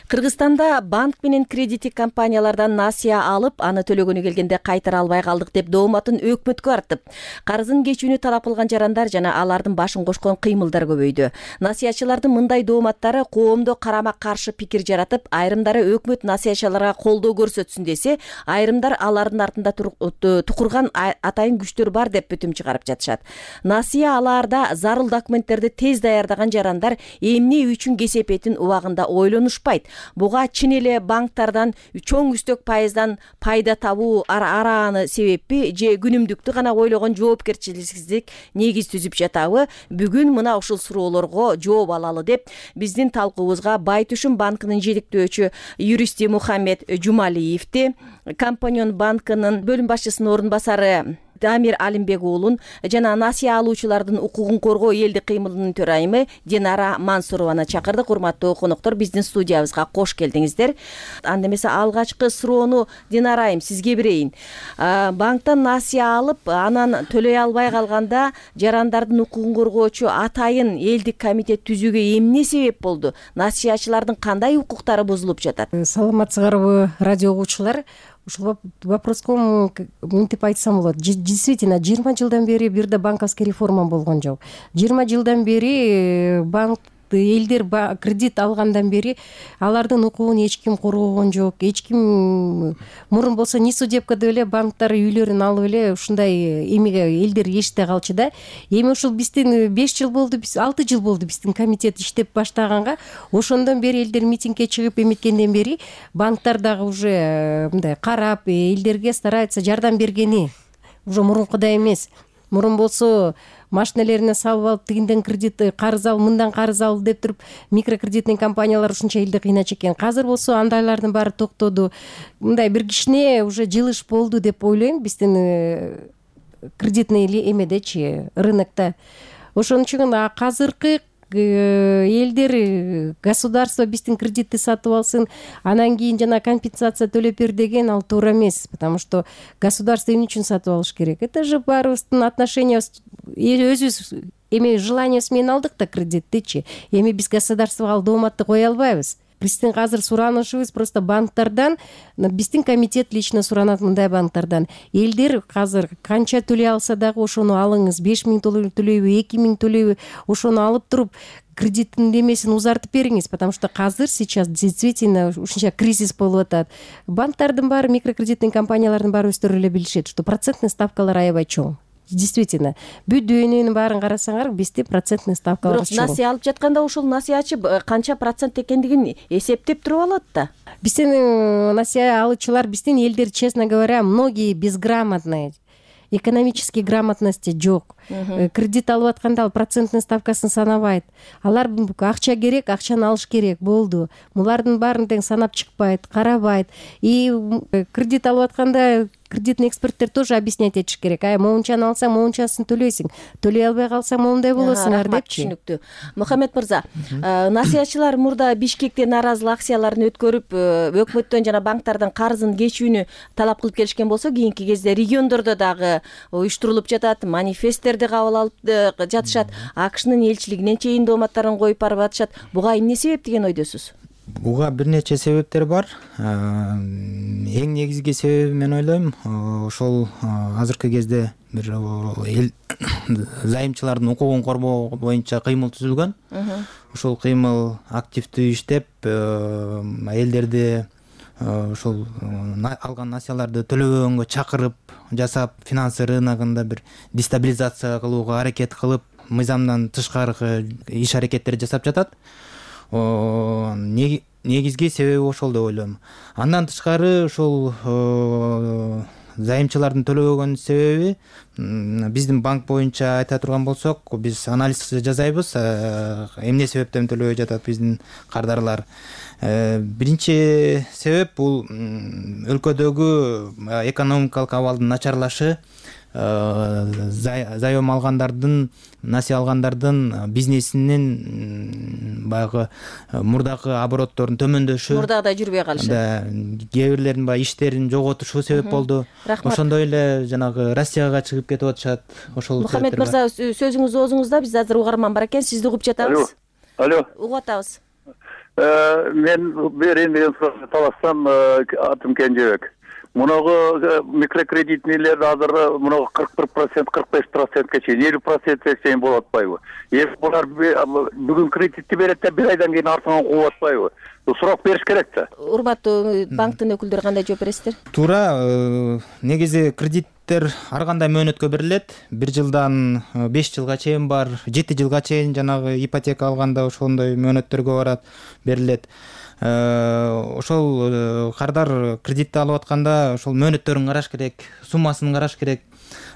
Кыргызстанда банк менен кредиттик компаниялардан насыя алып, аны төлөгөнү келгенде кайтара албай калдык деп дооматын өкмөткө артып, карызын кечүүнү талап кылган жарандар жана алардын башын кошкон кыймылдар көбөйдү. Насыячылардын мындай дооматтары коомдо карама каршы пикир жаратып, айрымдары өкмөт насыячыларга колдоо көрсөтсүн десе, айрымдар алардын артында тукурган атайын күчтөр бар деп бүтүм чыгарып жатышат. Насыя алаарда зарыл документтерди тез даярдаган жарандар эмне үчүн кесепетин убагында ойлонушпайт. Буга чын эле банктардан чоң үстөк пайыздан пайда табуу арааны себеппи же күнүмдүктү гана ойлогон жоопкерчиликсиздик негиз түзүп жатабы? Бүгүн мына ушул суроолорго жооп алалы деп биздин талкуубузга Байтүшүн банкынын жетектөөчү юристи Мухаммед Жумалиевди, Компаньон банкынын бөлүм башчысынын орун басары Дамир Алимбек уулун жана насыя алуучулардын укугун коргоо элдик кыймылынын төрайымы Динара Мансурованы чакырдык. Урматтуу конуктор, биздин студиябызга кош келдиңиздер. Анда эмесе алгачкы суроону Динарайым сизге берейин. Банктан насыя алып, анан төлөй албай калганда жарандардын укугун коргоочу атайын элдик комитет түзүүгө эмне себеп болду? Насыячылардын кандай укуктары бузулуп жатат?
Саламатсыздарбы, радио угуучулар? Ушул вопроско мынтип айтсам болот. Действительно, жыйырма жылдан бери бир да банковский реформа болгон жок. жыйырма жылдан бери банк элдер кредит алгандан бери алардын укугун эч ким коргогон жок. Эч ким мурун болсо не судебкада эле банктар үйлөрүн алып эле ушундай эмеге элдер эшите калчу да. Эми ушул биздин беш жыл болду, биз алты жыл болду биздин комитет иштеп баштаганга. Ошондон бери элдер митингге чыгып эметкенден бери банктар дагы уже мындай карап, элдерге старается жардам бергени уже мурункудай эмес. Мурун болсо машиналерине салып алып, тигинден кредит карыз ал, мындан карыз ал деп туруп микрокредитный компаниялар ушунча элди кыйначу экен. Азыр болсо андайлардын баары токтоду. Мындай бир кичине уже жылыш болду деп ойлойм биздин кредитный эмедечи, рынокто. Ошон үчүн азыркы элдер государство биздин кредитти сатып алсын, анан кийин жана компенсация төлөп бер деген ал туура эмес, потому что государство эмне үчүн сатып алыш керек? Это же баарыбыздын отношения, өзүбүз эми желаниябыз менен алдык да кредиттичи. Эми биз государствого ал дооматты кое албайбыз. Биздин азыр суранышыбыз просто банктардан, биздин комитет лично суранат мындай банктардан. Элдер азыр канча төлөй алса дагы ошону алыңыз, беш миң төлөйбү, эки миң төлөйбү, ошону алып туруп кредиттин демесин узартып бериңиз, потому что азыр сейчас действительно ушунча кризис болуп атат. Банктардын баары, микрокредитный компаниялардын баары өздөрү эле билишет, что процентный ставкалар аябай чоң. действительно бүт дүйнөнүн баарын карасаңар бизде процентный ставкалар
бирок насыя алып жатканда ушул насыячы канча процент экендигин эсептеп туруп алат да.
Биздин насыя алуучулар, биздин элдер, честно говоря, многие безграмотные, экономический грамотности жок. Кредит алып атканда ал процентный ставкасын санабайт. Алар акча керек, акчаны алыш керек, болду. Булардын баарын тең санап чыкпайт, карабайт. И кредит алып атканда кредитный эксперттер тоже объяснять этиш керек. Ай, моунчаны алсаң, моунчасын төлөйсүң. Төлөй албай калсаң, моундай болосуңар депчи.
Түшүнүктүү. Мухаммед мырза, насыячылар мурда Бишкекте нааразылык акцияларын өткөрүп, өкмөттөн жана банктардан карызын кечүүнү талап кылып келишкен болсо, кийинки кезде региондордо дагы уюштурулуп жатат, манифесттерди кабыл алып жатышат, АКШнын элчилигине чейин дооматтарын коюп барып атышат. Буга эмне себеп деген ойдосуз?
Буга бир нече себептер бар. Эң негизги себеби мен ойлойм, ошол азыркы кезде бир эл зайымчылардын укугун коргоо боюнча кыймыл түзүлгөн. Ошол кыймыл активдүү иштеп, элдерди ошол алган насыяларды төлөбөгөнгө чакырып, жасап, финансы рыногунда бир дестабилизация кылууга аракет кылып, мыйзамдан тышкаркы иш аракеттер жасап жатат. Негизги себеби ошол деп ойлойм. Андан тышкары ошол зайымчылардын төлөбөгөн себеби биздин банк боюнча айта турган болсок, биз анализ жасайбыз, эмне себептен төлөбөй жатат биздин кардарлар. Биринчи себеп бул өлкөдөгү экономикалык абалдын начарлашы, заем алгандардын, насыя алгандардын бизнесинин баягы мурдакы обороттордун төмөндөшү,
мурдагыдай жүрбөй калышы,
кээ бирлердин баягы иштерин жоготушу себеп болду. Ошондой эле жанагы Россияга чыгып кетип атышат. Ошол
Мухаммед мырза, сөзүңүз оозуңузда, биз азыр угарман бар экен, сизди угуп жатабыз.
Алло.
Угуп атабыз.
Мен берейин деген суроо талассам, атым Кенжебек. Мунагы микрокредитнийлер азыр мунагы кырк бир процент, кырк беш процентке чейин, элүү процентке чейин болуп атпайбы? Эми булар бүгүн кредитти берет да бир айдан кийин артынан кууп атпайбы? Суроо бериш керек да.
Урматтуу банктын өкүлдөрү кандай жооп бересиздер?
Туура, негизи кредиттер ар кандай мөөнөткө берилет. бир жылдан беш жылга чейин бар, жети жылга чейин жанагы ипотека алганда ошондой мөөнөттөргө барат, берилет. Ошол кардар кредитти алып атканда ошол мөөнөттөрүн караш керек, суммасын караш керек.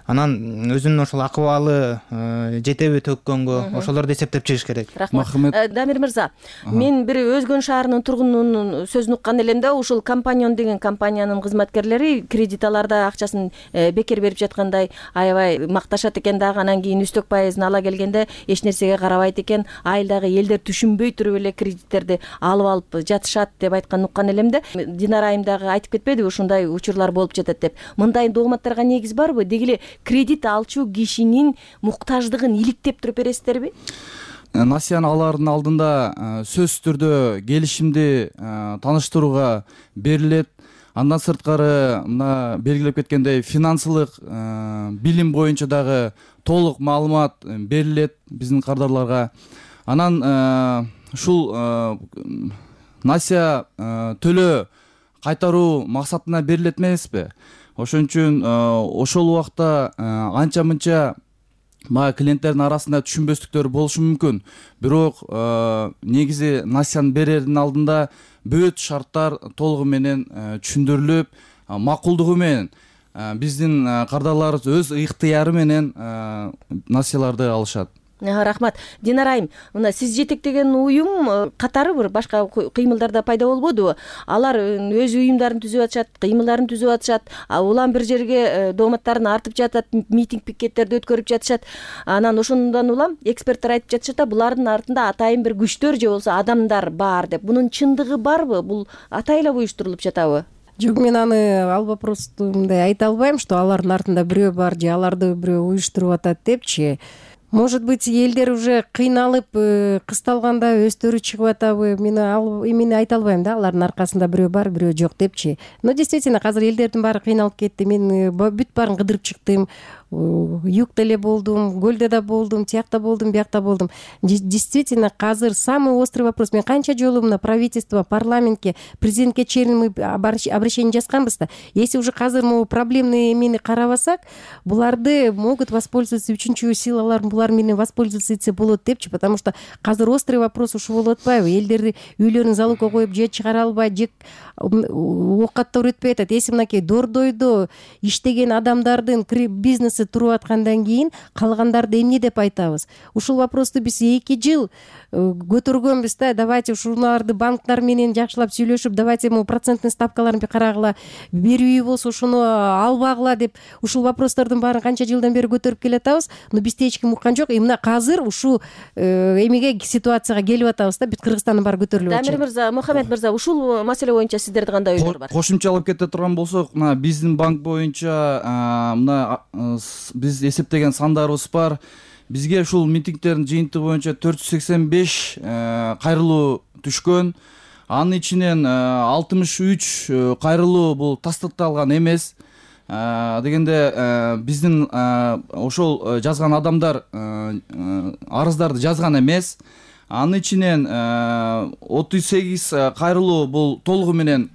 Анан өзүнүн ошол акыбалы жетеби төккөнгө ошолорду эсептеп чыгыш керек.
Рахмат. Дамир мырза, мен бир Өзгөн шаарынын тургунунун сөзүн уккан элем да, ушул Компанион деген компаниянын кызматкерлери кредит аларда акчасын бекер берип жаткандай аябай макташат экен дагы, анан кийин үстөк пайызын ала келгенде эч нерсеге карабайт экен, айылдагы элдер түшүнбөй туруп эле кредиттерди алып алып жатышат деп айтканын уккан элем да. Динара айым дагы айтып кетпедиби, ушундай учурлар болуп жатат деп. Мындай дооматтарга негиз барбы? Деги эле кредит алчу кишинин муктаждыгын иликтеп туруп бересиздерби?
Насыяны алаардын алдында сөзсүз түрдө келишимди тааныштырууга берилет. Андан сырткары мына белгилеп кеткендей финансылык билим боюнча дагы толук маалымат берилет биздин кардарларга. Анан ушул насыя төлөө кайтаруу максатына берилет эмеспи? Ошон үчүн ошол убакта анча-мынча мага клиенттердин арасында түшүнбөстүктөр болушу мүмкүн. Бирок негизи насыяны берердин алдында бүт шарттар толугу менен түшүндүрүлүп, макулдугу менен биздин кардарларыбыз өз ыктыяры менен насыяларды алышат.
Рахмат. Динара айым, мына сиз жетектеген уюм катары бир башка кыймылдарда пайда болбодубу? Алар өз уюмдарын түзүп атышат, кыймылдарын түзүп атышат, улам бир жерге дооматтарын артып жатат, митинг пикеттерди өткөрүп жатышат. Анан ошондон улам эксперттер айтып жатышат да, булардын артында атайын бир күчтөр же болбосо адамдар бар деп. Бунун чындыгы барбы? Бул атайла уюштурулуп жатабы?
Жок, мен аны ал вопросту мындай айта албайм, что алардын артында бирөө бар же аларды бирөө уюштуруп атат депчи. может быть элдер уже кыйналып кысталганда өздөрү чыгып атабы, мен ал эмени айта албайм да, алардын аркасында бирөө бар бирөө жок депчи. Но действительно азыр элдердин баары кыйналып кетти. Мен бүт баарын кыдырып чыктым, югда эле болдум, көлдө да болдум, тиякта болдум, биякта болдум. Действительно азыр самый острый вопрос. Мен канча жолу мына правительство, парламентке, президентке чейин мы обращение жазганбыз да. Если уже азыр могу проблемный эмени карабасак, буларды могут воспользоваться үчүнчү силалар, булар менен воспользоваться болот депчи, потому что азыр острый вопрос ушул болуп атпайбы? Элдерди үйлөрүн залогко коюп же чыгара албай, же оокаттар өтпөй атат. Если мынакей Дордойдо иштеген адамдардын бизнеси туруп аткандан кийин калгандарды эмне деп айтабыз? Ушул вопросту биз эки жыл көтөргөнбүз да. Давайте ушуларды банктар менен жакшылап сүйлөшүп, давайте могу процентный ставкаларын карагыла, берүүбү болсо ошону албагыла деп ушул вопростордун баарын канча жылдан бери көтөрүп келатабыз. Но бизде эч ким уккан жок. И мына азыр ушул эмеге ситуацияга келип атабыз да. Бүт Кыргызстандын баары көтөрүлүп атат.
Дамир мырза, Мухаммед мырза, ушул маселе боюнча сиздердин кандай оюңар бар?
Кошумчалап кете турган болсок, мына биздин банк боюнча мына биз эсептеген сандарыбыз бар. Бизге ушул митингдердин жыйынтыгы боюнча төрт жүз сексен беш кайрылуу түшкөн. Анын ичинен алтымыш үч кайрылуу бул тастыкталган эмес. Дегенде биздин ошол жазган адамдар арыздарды жазган эмес. Анын ичинен отуз сегиз кайрылуу бул толугу менен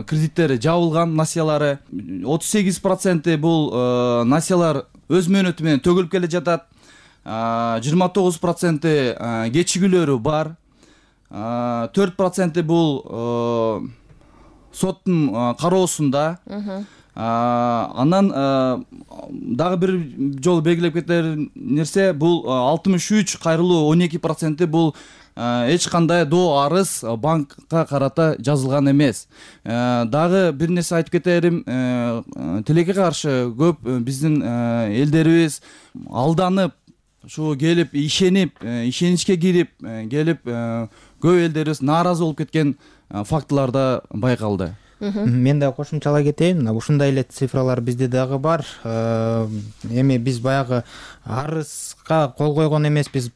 кредиттери жабылган, насыялары. отуз сегиз проценти бул насыялар өз мөөнөтү менен төгүлүп келе жатат. жыйырма тогуз проценти кечигүүлөрү бар. төрт проценти бул соттун кароосунда. Анан дагы бир жолу белгилеп кетер нерсе, бул алтымыш үч кайрылуу он эки проценти бул эч кандай доо арыз банкка карата жазылган эмес. Дагы бир нерсе айтып кетерим, тилекке каршы көп биздин элдерибиз алданып, ушу келип ишенип, ишеничке кирип келип көп элдерибиз нааразы болуп кеткен фактылар да байкалды.
Мен да кошумчалай кетейин. Ушундай эле цифралар бизде дагы бар. Эми биз баягы арызга кол койгон эмеспиз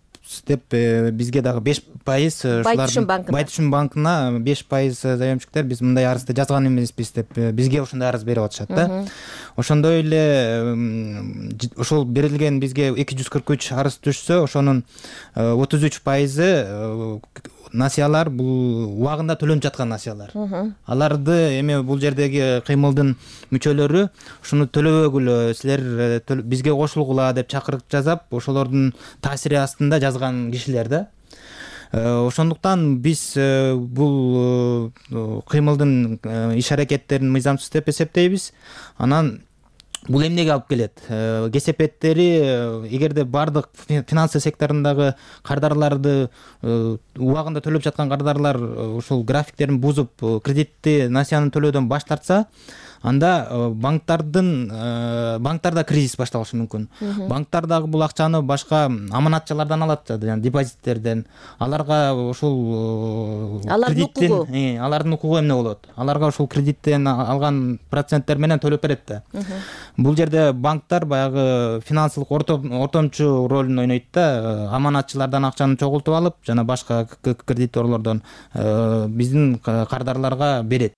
деп бизге дагы беш пайыз Байтүшүн банкына беш пайыз заемщиктер биз мындай арызды жазган эмеспиз деп бизге ошондой арыз берип атышат да. Ошондой эле ошол берилген бизге эки жүз кырк үч арыз түшсө, ошонун отуз үч пайызы насыялар бул убагында төлөнүп жаткан насыялар. Аларды эми бул жердеги кыймылдын мүчөлөрү ушуну төлөбөгүлө, силер бизге кошулгула деп чакырык жасап, ошолордун таасири астында жазган кишилер да. Ошондуктан биз бул кыймылдын иш аракеттерин мыйзамсыз деп эсептейбиз. Анан бул эмнеге алып келет? Кесепеттери эгерде бардык финансы секторундагы кардарларды убагында төлөп жаткан кардарлар ушул графиктерин бузуп кредитти насыяны төлөөдөн баш тартса, анда банктардын банктарда кризис башталышы мүмкүн. Банктар дагы бул акчаны башка аманатчылардан алат, жана депозиттерден. Аларга ушул кредиттин алардын укугу эмне болот? Аларга ушул кредиттен алган проценттер менен төлөп берет да. Бул жерде банктар баягы финансылык ортомчу ролун ойнойт да. Аманатчылардан акчаны чогултуп алып, жана башка кредиторлордон биздин кардарларга берет.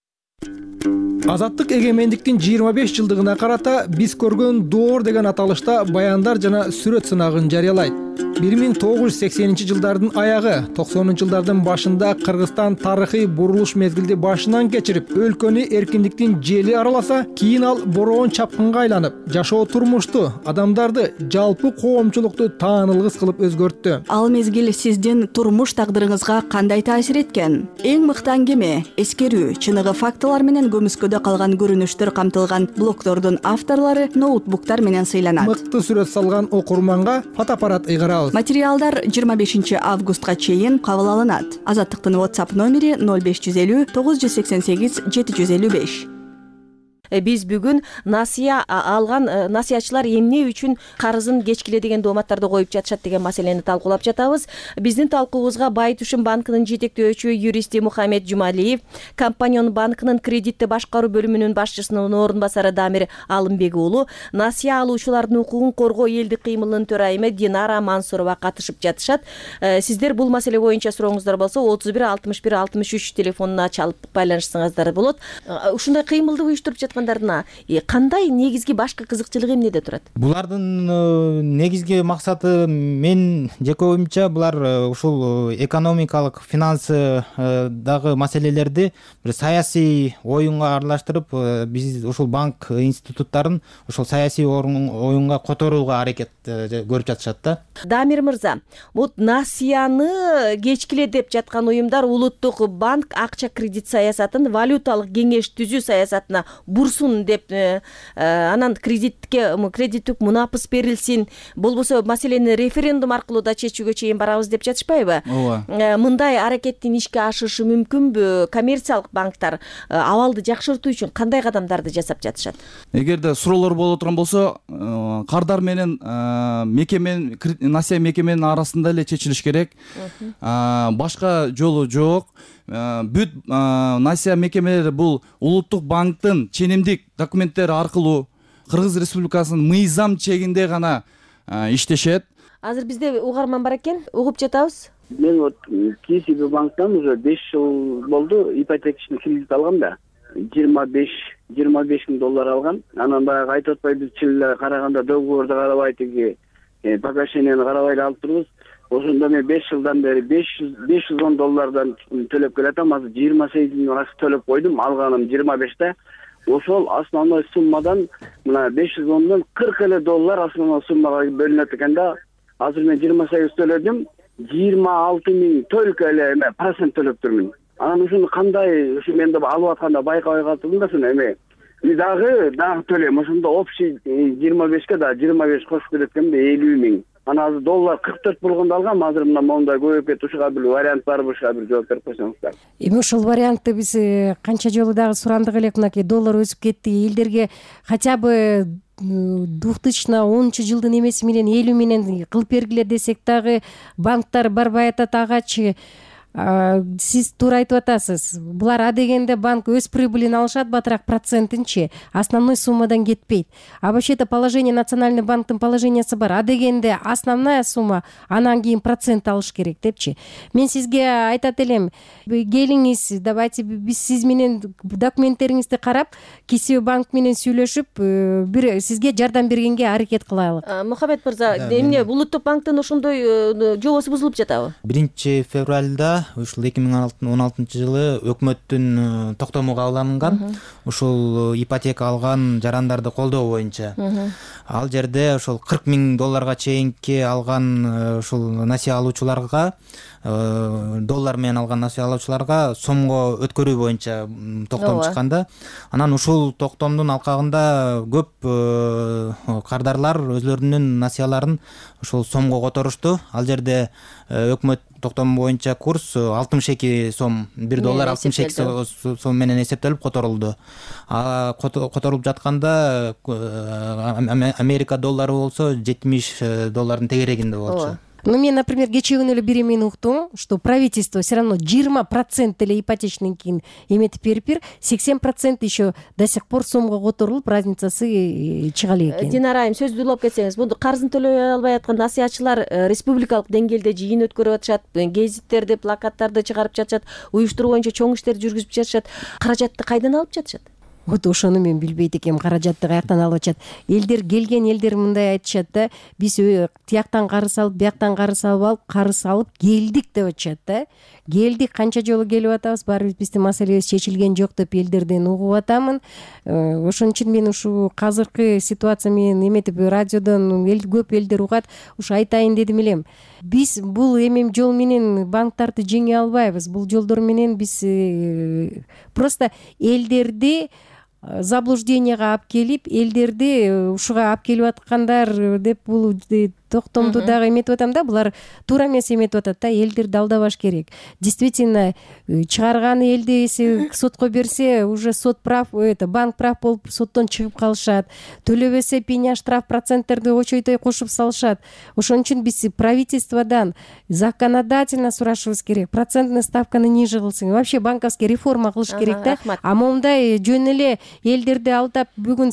Азаттык эгемендиктин жыйырма беш жылдыгына карата биз көргөн доор деген аталышта баяндар жана сүрөт сынагын жарыялайт. бир миң тогуз жүз сексенинчи жылдардын аягы, токсонунчу жылдардын башында Кыргызстан тарыхый бурулуш мезгилди башынан кечирип, өлкөнү эркиндиктин жели араласа, кийин ал бороон чапкынга айланып, жашоо турмушту, адамдарды, жалпы коомчулукту таанылгыс кылып өзгөрттү.
Ал мезгил сиздин турмуш тагдырыңызга кандай таасир эткен? Эң мыкты аңгеме, эскерүү, чыныгы фактылар менен көмүскөдө калган көрүнүштөр камтылган блогдордун авторлору ноутбуктар менен сыйланат.
Мыкты сүрөт салган окурманга фотоаппарат ыйгарабыз.
Материалдар жыйырма бешинчи августка чейин кабыл алынат. Азаттыктын WhatsApp номери ноль беш жүз элүү тогуз жүз сексен сегиз жети жүз элүү беш.
биз бүгүн насыя алган насыячылар эмне үчүн карызын кечкиле деген дооматтарды коюп жатышат деген маселени талкуулап жатабыз. Биздин талкуубузга Байтушум банкынын жетектөөчү юристи Мухаммед Жумалиев, Компанион банкынын кредитти башкаруу бөлүмүнүн башчысынын орун басары Дамир Алымбек уулу, насыя алуучулардын укугун коргоо элдик кыймылынын төрайымы Динара Мансурова катышып жатышат. Сиздер бул маселе боюнча сурооңуздар болсо отуз бир алтымыш бир алтымыш үч телефонуна чалып байланышсаңыздар болот. Ушундай кыймылды уюштуруп жаткандарына кандай негизги башкы кызыкчылыгы эмнеде турат?
Булардын негизги максаты мен жеке оюмча булар ушул экономикалык финансы дагы маселелерди бир саясий оюнга аралаштырып, биз ушул банк институттарын ушул саясий оюнга которууга аракет көрүп жатышат да.
Дамир мырза, бул насыяны кечкиле деп жаткан уюмдар улуттук банк акча кредит саясатын валюталык кеңеш түзүү саясатына бурсун деп, анан кредитке кредиттик мунапыс берилсин, болбосо маселени референдум аркылуу да чечүүгө чейин барабыз деп жатышпайбы? Ооба. Мындай аракеттин ишке ашышы мүмкүнбү? Коммерциялык банктар абалды жакшыртуу үчүн кандай кадамдарды жасап жатышат?
Эгерде суроолор боло турган болсо, кардар менен мекеменин насыя мекеменин арасында эле чечилиш керек. Башка жолу жок. Бүт насыя мекемелери бул улуттук банктын ченемдик документтери аркылуу Кыргыз Республикасынын мыйзам чегинде гана иштешет.
Азыр бизде угарман бар экен, угуп жатабыз.
Мен вот КСБ банктан уже беш жыл болду ипотечный кредит алгам да. жыйырма беш миң доллар алган. Анан баягы айтып атпайбыз, чын караганда договорду карабай, тиги погашенияны карабай алып турбуз. Ошондо мен беш жылдан бери беш жүз он доллардан төлөп келатам. Азыр жыйырма сегиз миң акча төлөп койдум. Алганым жыйырма беште. Ошол основной суммадан мына беш жүз ондон кырк эле доллар основной суммага бөлүнөт экен да. Азыр мен жыйырма сегиз төлөдүм. жыйырма алты миң только эле эме процент төлөп турмун. Анан ушуну кандай, ушу мен деп алып атканда байкабай калдым да, шуну эме. И дагы дагы төлөйм. Ошондо общий жыйырма бешке да жыйырма беш кошуп төлөткөмдө элүү миң. Анан азыр доллар кырк төрт болгондо алгам, азыр мына мондай көбөйүп кетти. Ушуга бир вариант барбы, ушуга бир жооп берип койсоңуздар.
Эми ушул вариантты биз канча жолу дагы сурандык элек, мынакей доллар өсүп кетти, элдерге хотя бы две тысячи онунчу жылдын эмеси менен элүү менен кылып бергиле десек дагы банктар барбай атат агачы. Сиз туура айтып атасыз. Булар адегенде банк өз прибылин алышат, батыраак процентинчи основной суммадан кетпейт. А вообще-то положение Национальный банктын положениясы бар. Адегенде основная сумма, анан кийин процент алыш керек депчи. Мен сизге айтат элем, келиңиз, давайте биз сиз менен документтериңизди карап, КСБ банк менен сүйлөшүп, бир сизге жардам бергенге аракет кылайлык.
Мухаммед мырза, эмне улуттук банктын ошондой жобосу бузулуп жатабы?
биринчи февралда ушул эки миң он алтынчы жылы өкмөттүн токтому кабыл алынган. Ушул ипотека алган жарандарды колдоо боюнча. Ал жерде ошол кырк миң долларга чейинки алган ушул насыя алуучуларга, доллар менен алган насыя алуучуларга сомго өткөрүү боюнча токтом чыккан да. Анан ушул токтомдун алкагында көп кардарлар өзлөрүнүн насыяларын ушул сомго которушту. Ал жерде өкмөт токтому боюнча курс алтымыш эки сом, бир доллар алтымыш эки сом менен эсептелип которулду. А которулуп жатканда Америка доллары болсо жетимиш доллардын тегерегинде болчу.
Ну, мен, например, кечээ күнү эле бир эмени уктум, что правительство все равно жыйырма процент эле ипотечный кийин эметип берип, сексен процент еще до сих пор сомго которулуп, разницасы чыга элек экен.
Динара айым, сөздү улап кетсеңиз, бул карызын төлөй албай аткан насыячылар республикалык деңгээлде жыйын өткөрүп атышат, гезиттерди, плакаттарды чыгарып жатышат, уюштуруу боюнча чоң иштерди жүргүзүп жатышат. Каражатты кайдан алып жатышат?
Вот ошону мен билбейт экенмин, каражатты каяктан алып атышат. Элдер келген элдер мындай айтышат да, биз тияктан карыз алып, бияктан карыз алып алып, карыз алып келдик деп атышат да. Келдик, канча жолу келип атабыз, баарыбыз биздин маселебиз чечилген жок деп элдерден угуп атамын. Ошон үчүн мен ушу азыркы ситуация менен эметип радиодон эл көп элдер угат, ушу айтайын дедим элем. Биз бул эми жол менен банктарды жеңе албайбыз. Бул жолдор менен биз просто элдерди заблужденияга алып келип, элдерди ушуга алып келип аткандар деп бул токтомду дагы эметип атам да, булар туура эмес эметип атат да, элдерди алдабаш керек. Действительно чыгарган элди если сотко берсе, уже сот прав, это банк прав болуп соттон чыгып калышат, төлөбөсө пеня штраф проценттерди очойтой кошуп салышат. Ошон үчүн биз правительстводан законодательно сурашыбыз керек, процентный ставканы ниже кылсын, вообще банковский реформа кылыш керек да. А мондай жөн эле элдерди алдап бүгүн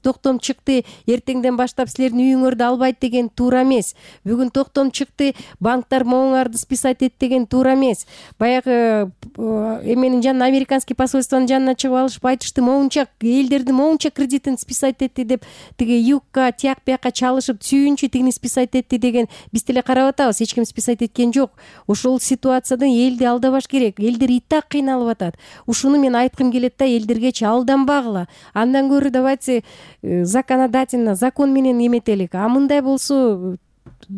токтом чыкты, эртеңден баштап силердин үйүңөрдү албайт деген туура эмес. Бүгүн токтом чыкты, банктар моңуңарды списать эт деген туура эмес. Баягы эменин жанына, американский посольствонун жанына чыгып алышып айтышты, моңунча элдерди моңунча кредитин списать этти деп, тиги югка тияк бияка чалышып сүйүнчү тигини списать этти деген биз деле карап атабыз, эч ким списать эткен жок. Ошол ситуациядан элди алдабаш керек. Элдер и так кыйналып атат. Ушуну мен айткым келет да, элдергечи алданбагыла. Андан көрө давайте законодательно закон менен эметелик. А мындай болсо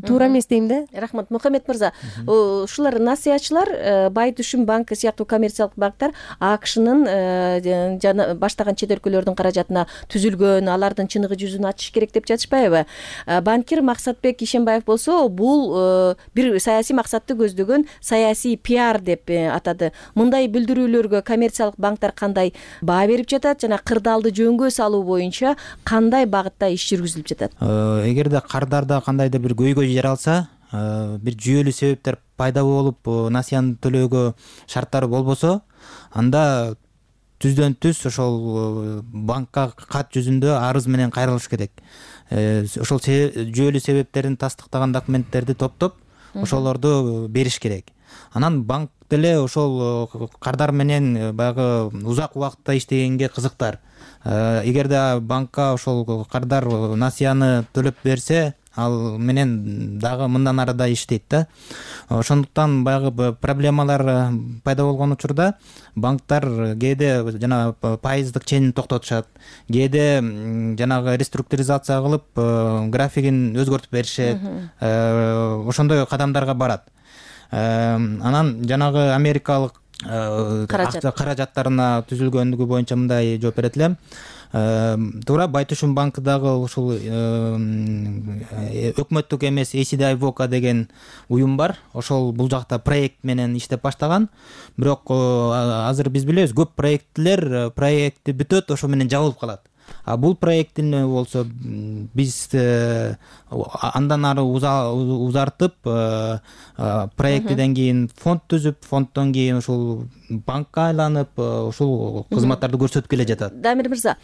туура эмес дейм да.
Рахмат. Мухаммед мырза, ушулар насыятчылар, Бай Түшүм банкы сыяктуу коммерциялык банктар АКШнын жана баштаган чет өлкөлөрдүн каражатына түзүлгөн, алардын чыныгы жүзүн ачыш керек деп жатышпайбы? Банкир Максатбек Ишенбаев болсо, бул бир саясий максатты көздөгөн саясий пиар деп атады. Мындай билдирүүлөргө коммерциялык банктар кандай баа берип жатат жана кырдаалды жөнгө салуу боюнча кандай багытта иш жүргүзүлүп жатат?
Эгерде кардарда кандайдыр бир көйгөй жаралса, бир жүйөлүү себептер пайда болуп насыяны төлөөгө шарттары болбосо, анда түздөн түз ошол банкка кат жүзүндө арыз менен кайрылыш керек. Ошол жүйөлүү себептерин тастыктаган документтерди топтоп, ошолорду бериш керек. Анан банк деле ошол кардар менен баягы узак убакытта иштегенге кызыктар. Эгерде банкка ошол кардар насыяны төлөп берсе, ал менен дагы мындан ары да иштейт да. Ошондуктан баягы проблемалар пайда болгон учурда банктар кээде жана пайыздык ченин токтотушат, кээде жанагы реструктуризация кылып графигин өзгөртүп беришет. Ошондой кадамдарга барат. Анан жанагы америкалык каражаттарына түзүлгөндүгү боюнча мындай жооп берет элем. Туура, Бай Түшүм банкы дагы ушул өкмөттүк эмес эй си ди Voca деген уюм бар. Ошол бул жакта проект менен иштеп баштаган. Бирок азыр биз билебиз, көп проекттер проекти бүтөт, ошо менен жабылып калат. А бул проекттин болсо биз андан ары узартып, проекттен кийин фонд түзүп, фонддон кийин ушул банкка айланып, ушул кызматтарды көрсөтүп келе жатат.
Дамир мырза,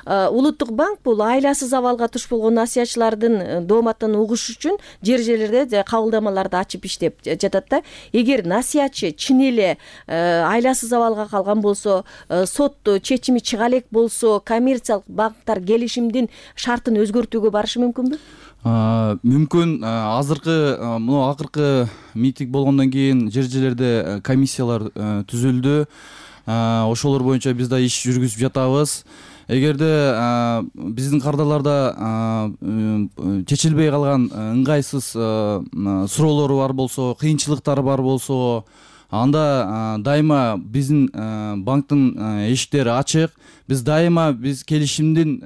Улуттук банк бул айласыз абалга туш болгон насыятчылардын дооматын угуш үчүн жер жерлерде кабылдамаларды ачып иштеп жатат да. Эгер насыятчы чын эле айласыз абалга калган болсо, сот чечими чыга элек болсо, коммерциялык банктар келишимдин шартын өзгөртүүгө барышы мүмкүнбү?
Мүмкүн. Азыркы мына акыркы митинг болгондон кийин жер жерлерде комиссиялар түзүлдү. Ошолор боюнча биз да иш жүргүзүп жатабыз. Эгерде биздин кардарларда чечилбей калган ыңгайсыз суроолор бар болсо, кыйынчылыктар бар болсо, анда дайыма биздин банктын эшиктери ачык. Биз дайыма биз келишимдин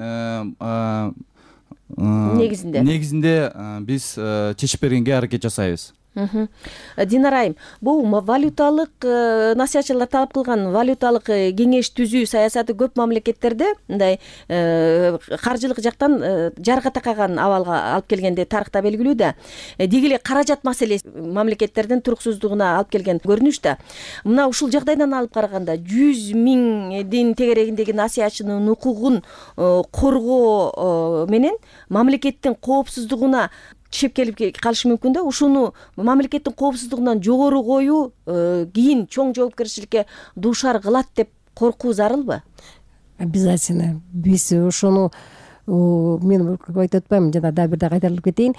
негизинде
негизинде биз чечип бергенге аракет жасайбыз.
Динара айым, бул валюталык насыятчылар талап кылган валюталык кеңеш түзүү саясаты көп мамлекеттерде мындай каржылык жактан жарга такаган абалга алып келгенде тарыхта белгилүү да. Деги эле каражат маселеси мамлекеттердин туруксуздугуна алып келген көрүнүш да. Мына ушул жагдайдан алып караганда жүз миңдин тегерегиндеги насыятчынын укугун коргоо менен мамлекеттин коопсуздугуна чеп келип калышы мүмкүн да. Ушуну мамлекеттин коопсуздугунан жогору коюу кийин чоң жоопкерчиликке дуушар кылат деп коркуу зарылбы?
Обязательно. Биз ошону мен айтып атпаймынбы, жана дагы бир да кайтарылып кетейин.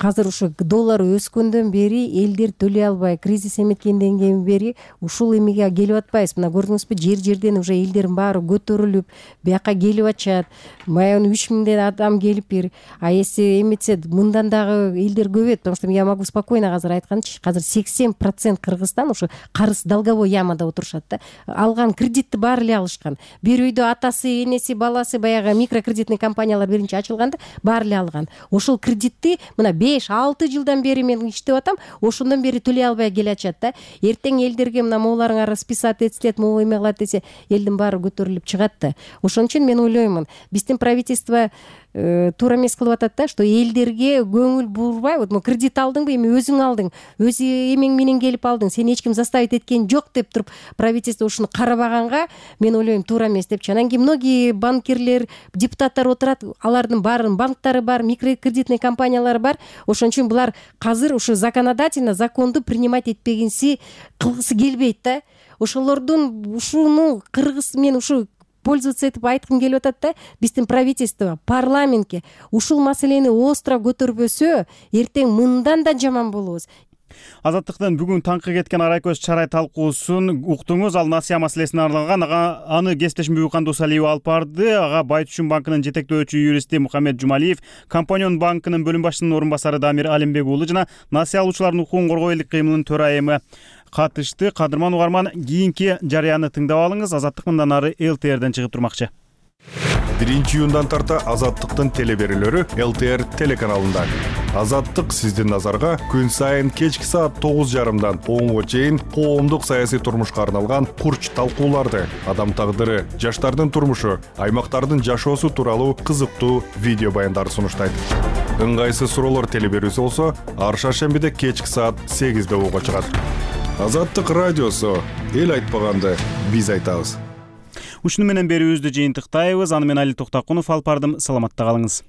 Азыр ушу доллар өскөндөн бери элдер төлөй албай, кризис эметкенден бери ушул эмеге келип атпайбыз. Мына көрдүңүзбү, жер жерден уже элдердин баары көтөрүлүп, бияка келип атышат. Баягы үч миңден адам келип бир. А если эметсе, мындан дагы элдер көбөйөт, потому что я могу спокойно азыр айтканчы, азыр сексен процент Кыргызстан ушу карыз долговой ямада отурушат да. Алган кредитти баары эле алышкан. Бир үйдө атасы, энеси, баласы баягы микрокредитный компаниялар биринчи ачылганда баары эле алган. Ошол кредитти мына беш алты жылдан бери мен иштеп атам, ошондон бери төлөй албай келатышат да. Эртең элдерге мына могуларыңар расписать этсилет, могу эме кылат десе, элдин баары көтөрүлүп чыгат да. Ошон үчүн мен ойлоймун, биздин правительство туура эмес кылып атат да, что элдерге көңүл бурбай, вот кредит алдыңбы, эми өзүң алдың, өз эмең менен келип алдың, сени эч ким заставить эткен жок деп туруп правительство ушуну карабаганга мен ойлойм туура эмес депчи. Анан кийин многие банкирлер, депутаттар отурат, алардын баарынын банктары бар, микрокредитный компаниялары бар. Ошон үчүн булар азыр ушу законодательно законду принимать этпегенси кылгысы келбейт да. Ошолордун ушуну кыргыз мен ушу пользоваться этип айткым келип атат да, биздин правительство, парламентке ушул маселени остро көтөрбөсө, эртең мындан да жаман болобуз.
Азаттыктын бүгүн таңкы кеткен арай көз чарай талкуусун уктуңуз. Ал насыя маселесине арналган. Ага аны кесиптешим Бүкан Досалиева алып барды. Ага Байтүчүн банкынын жетектөөчү юристи Мухаммед Жумалиев, Компаньон банкынын бөлүм башчысынын орун басары Дамир Алимбек уулу жана насыя алуучулардын укугун коргоо элдик кыймылынын төрайымы катышты. Кадырман угарман, кийинки жарыяны тыңдап алыңыз. Азаттык мындан ары эл ти эрден чыгып турмакчы.
биринчи июндан тарта Азаттыктын телеберүүлөрү эл ти эр телеканалында. Азаттык сиздин назарга күн сайын кечки саат тогуз жарымдан онго чейин коомдук саясий турмушка арналган курч талкууларды, адам тагдыры, жаштардын турмушу, аймактардын жашоосу тууралуу кызыктуу видео баяндарды сунуштайт. Ыңгайсыз суроолор телеберүүсү болсо, ар шаршембиде кечки саат сегизде угууга чыгат. Азаттык радиосу, эл айтпаганды биз айтабыз.
Ушуну менен берүүбүздү жыйынтыктайбыз. Аны мен Али Токтакунов алып бардым. Саламатта калыңыз.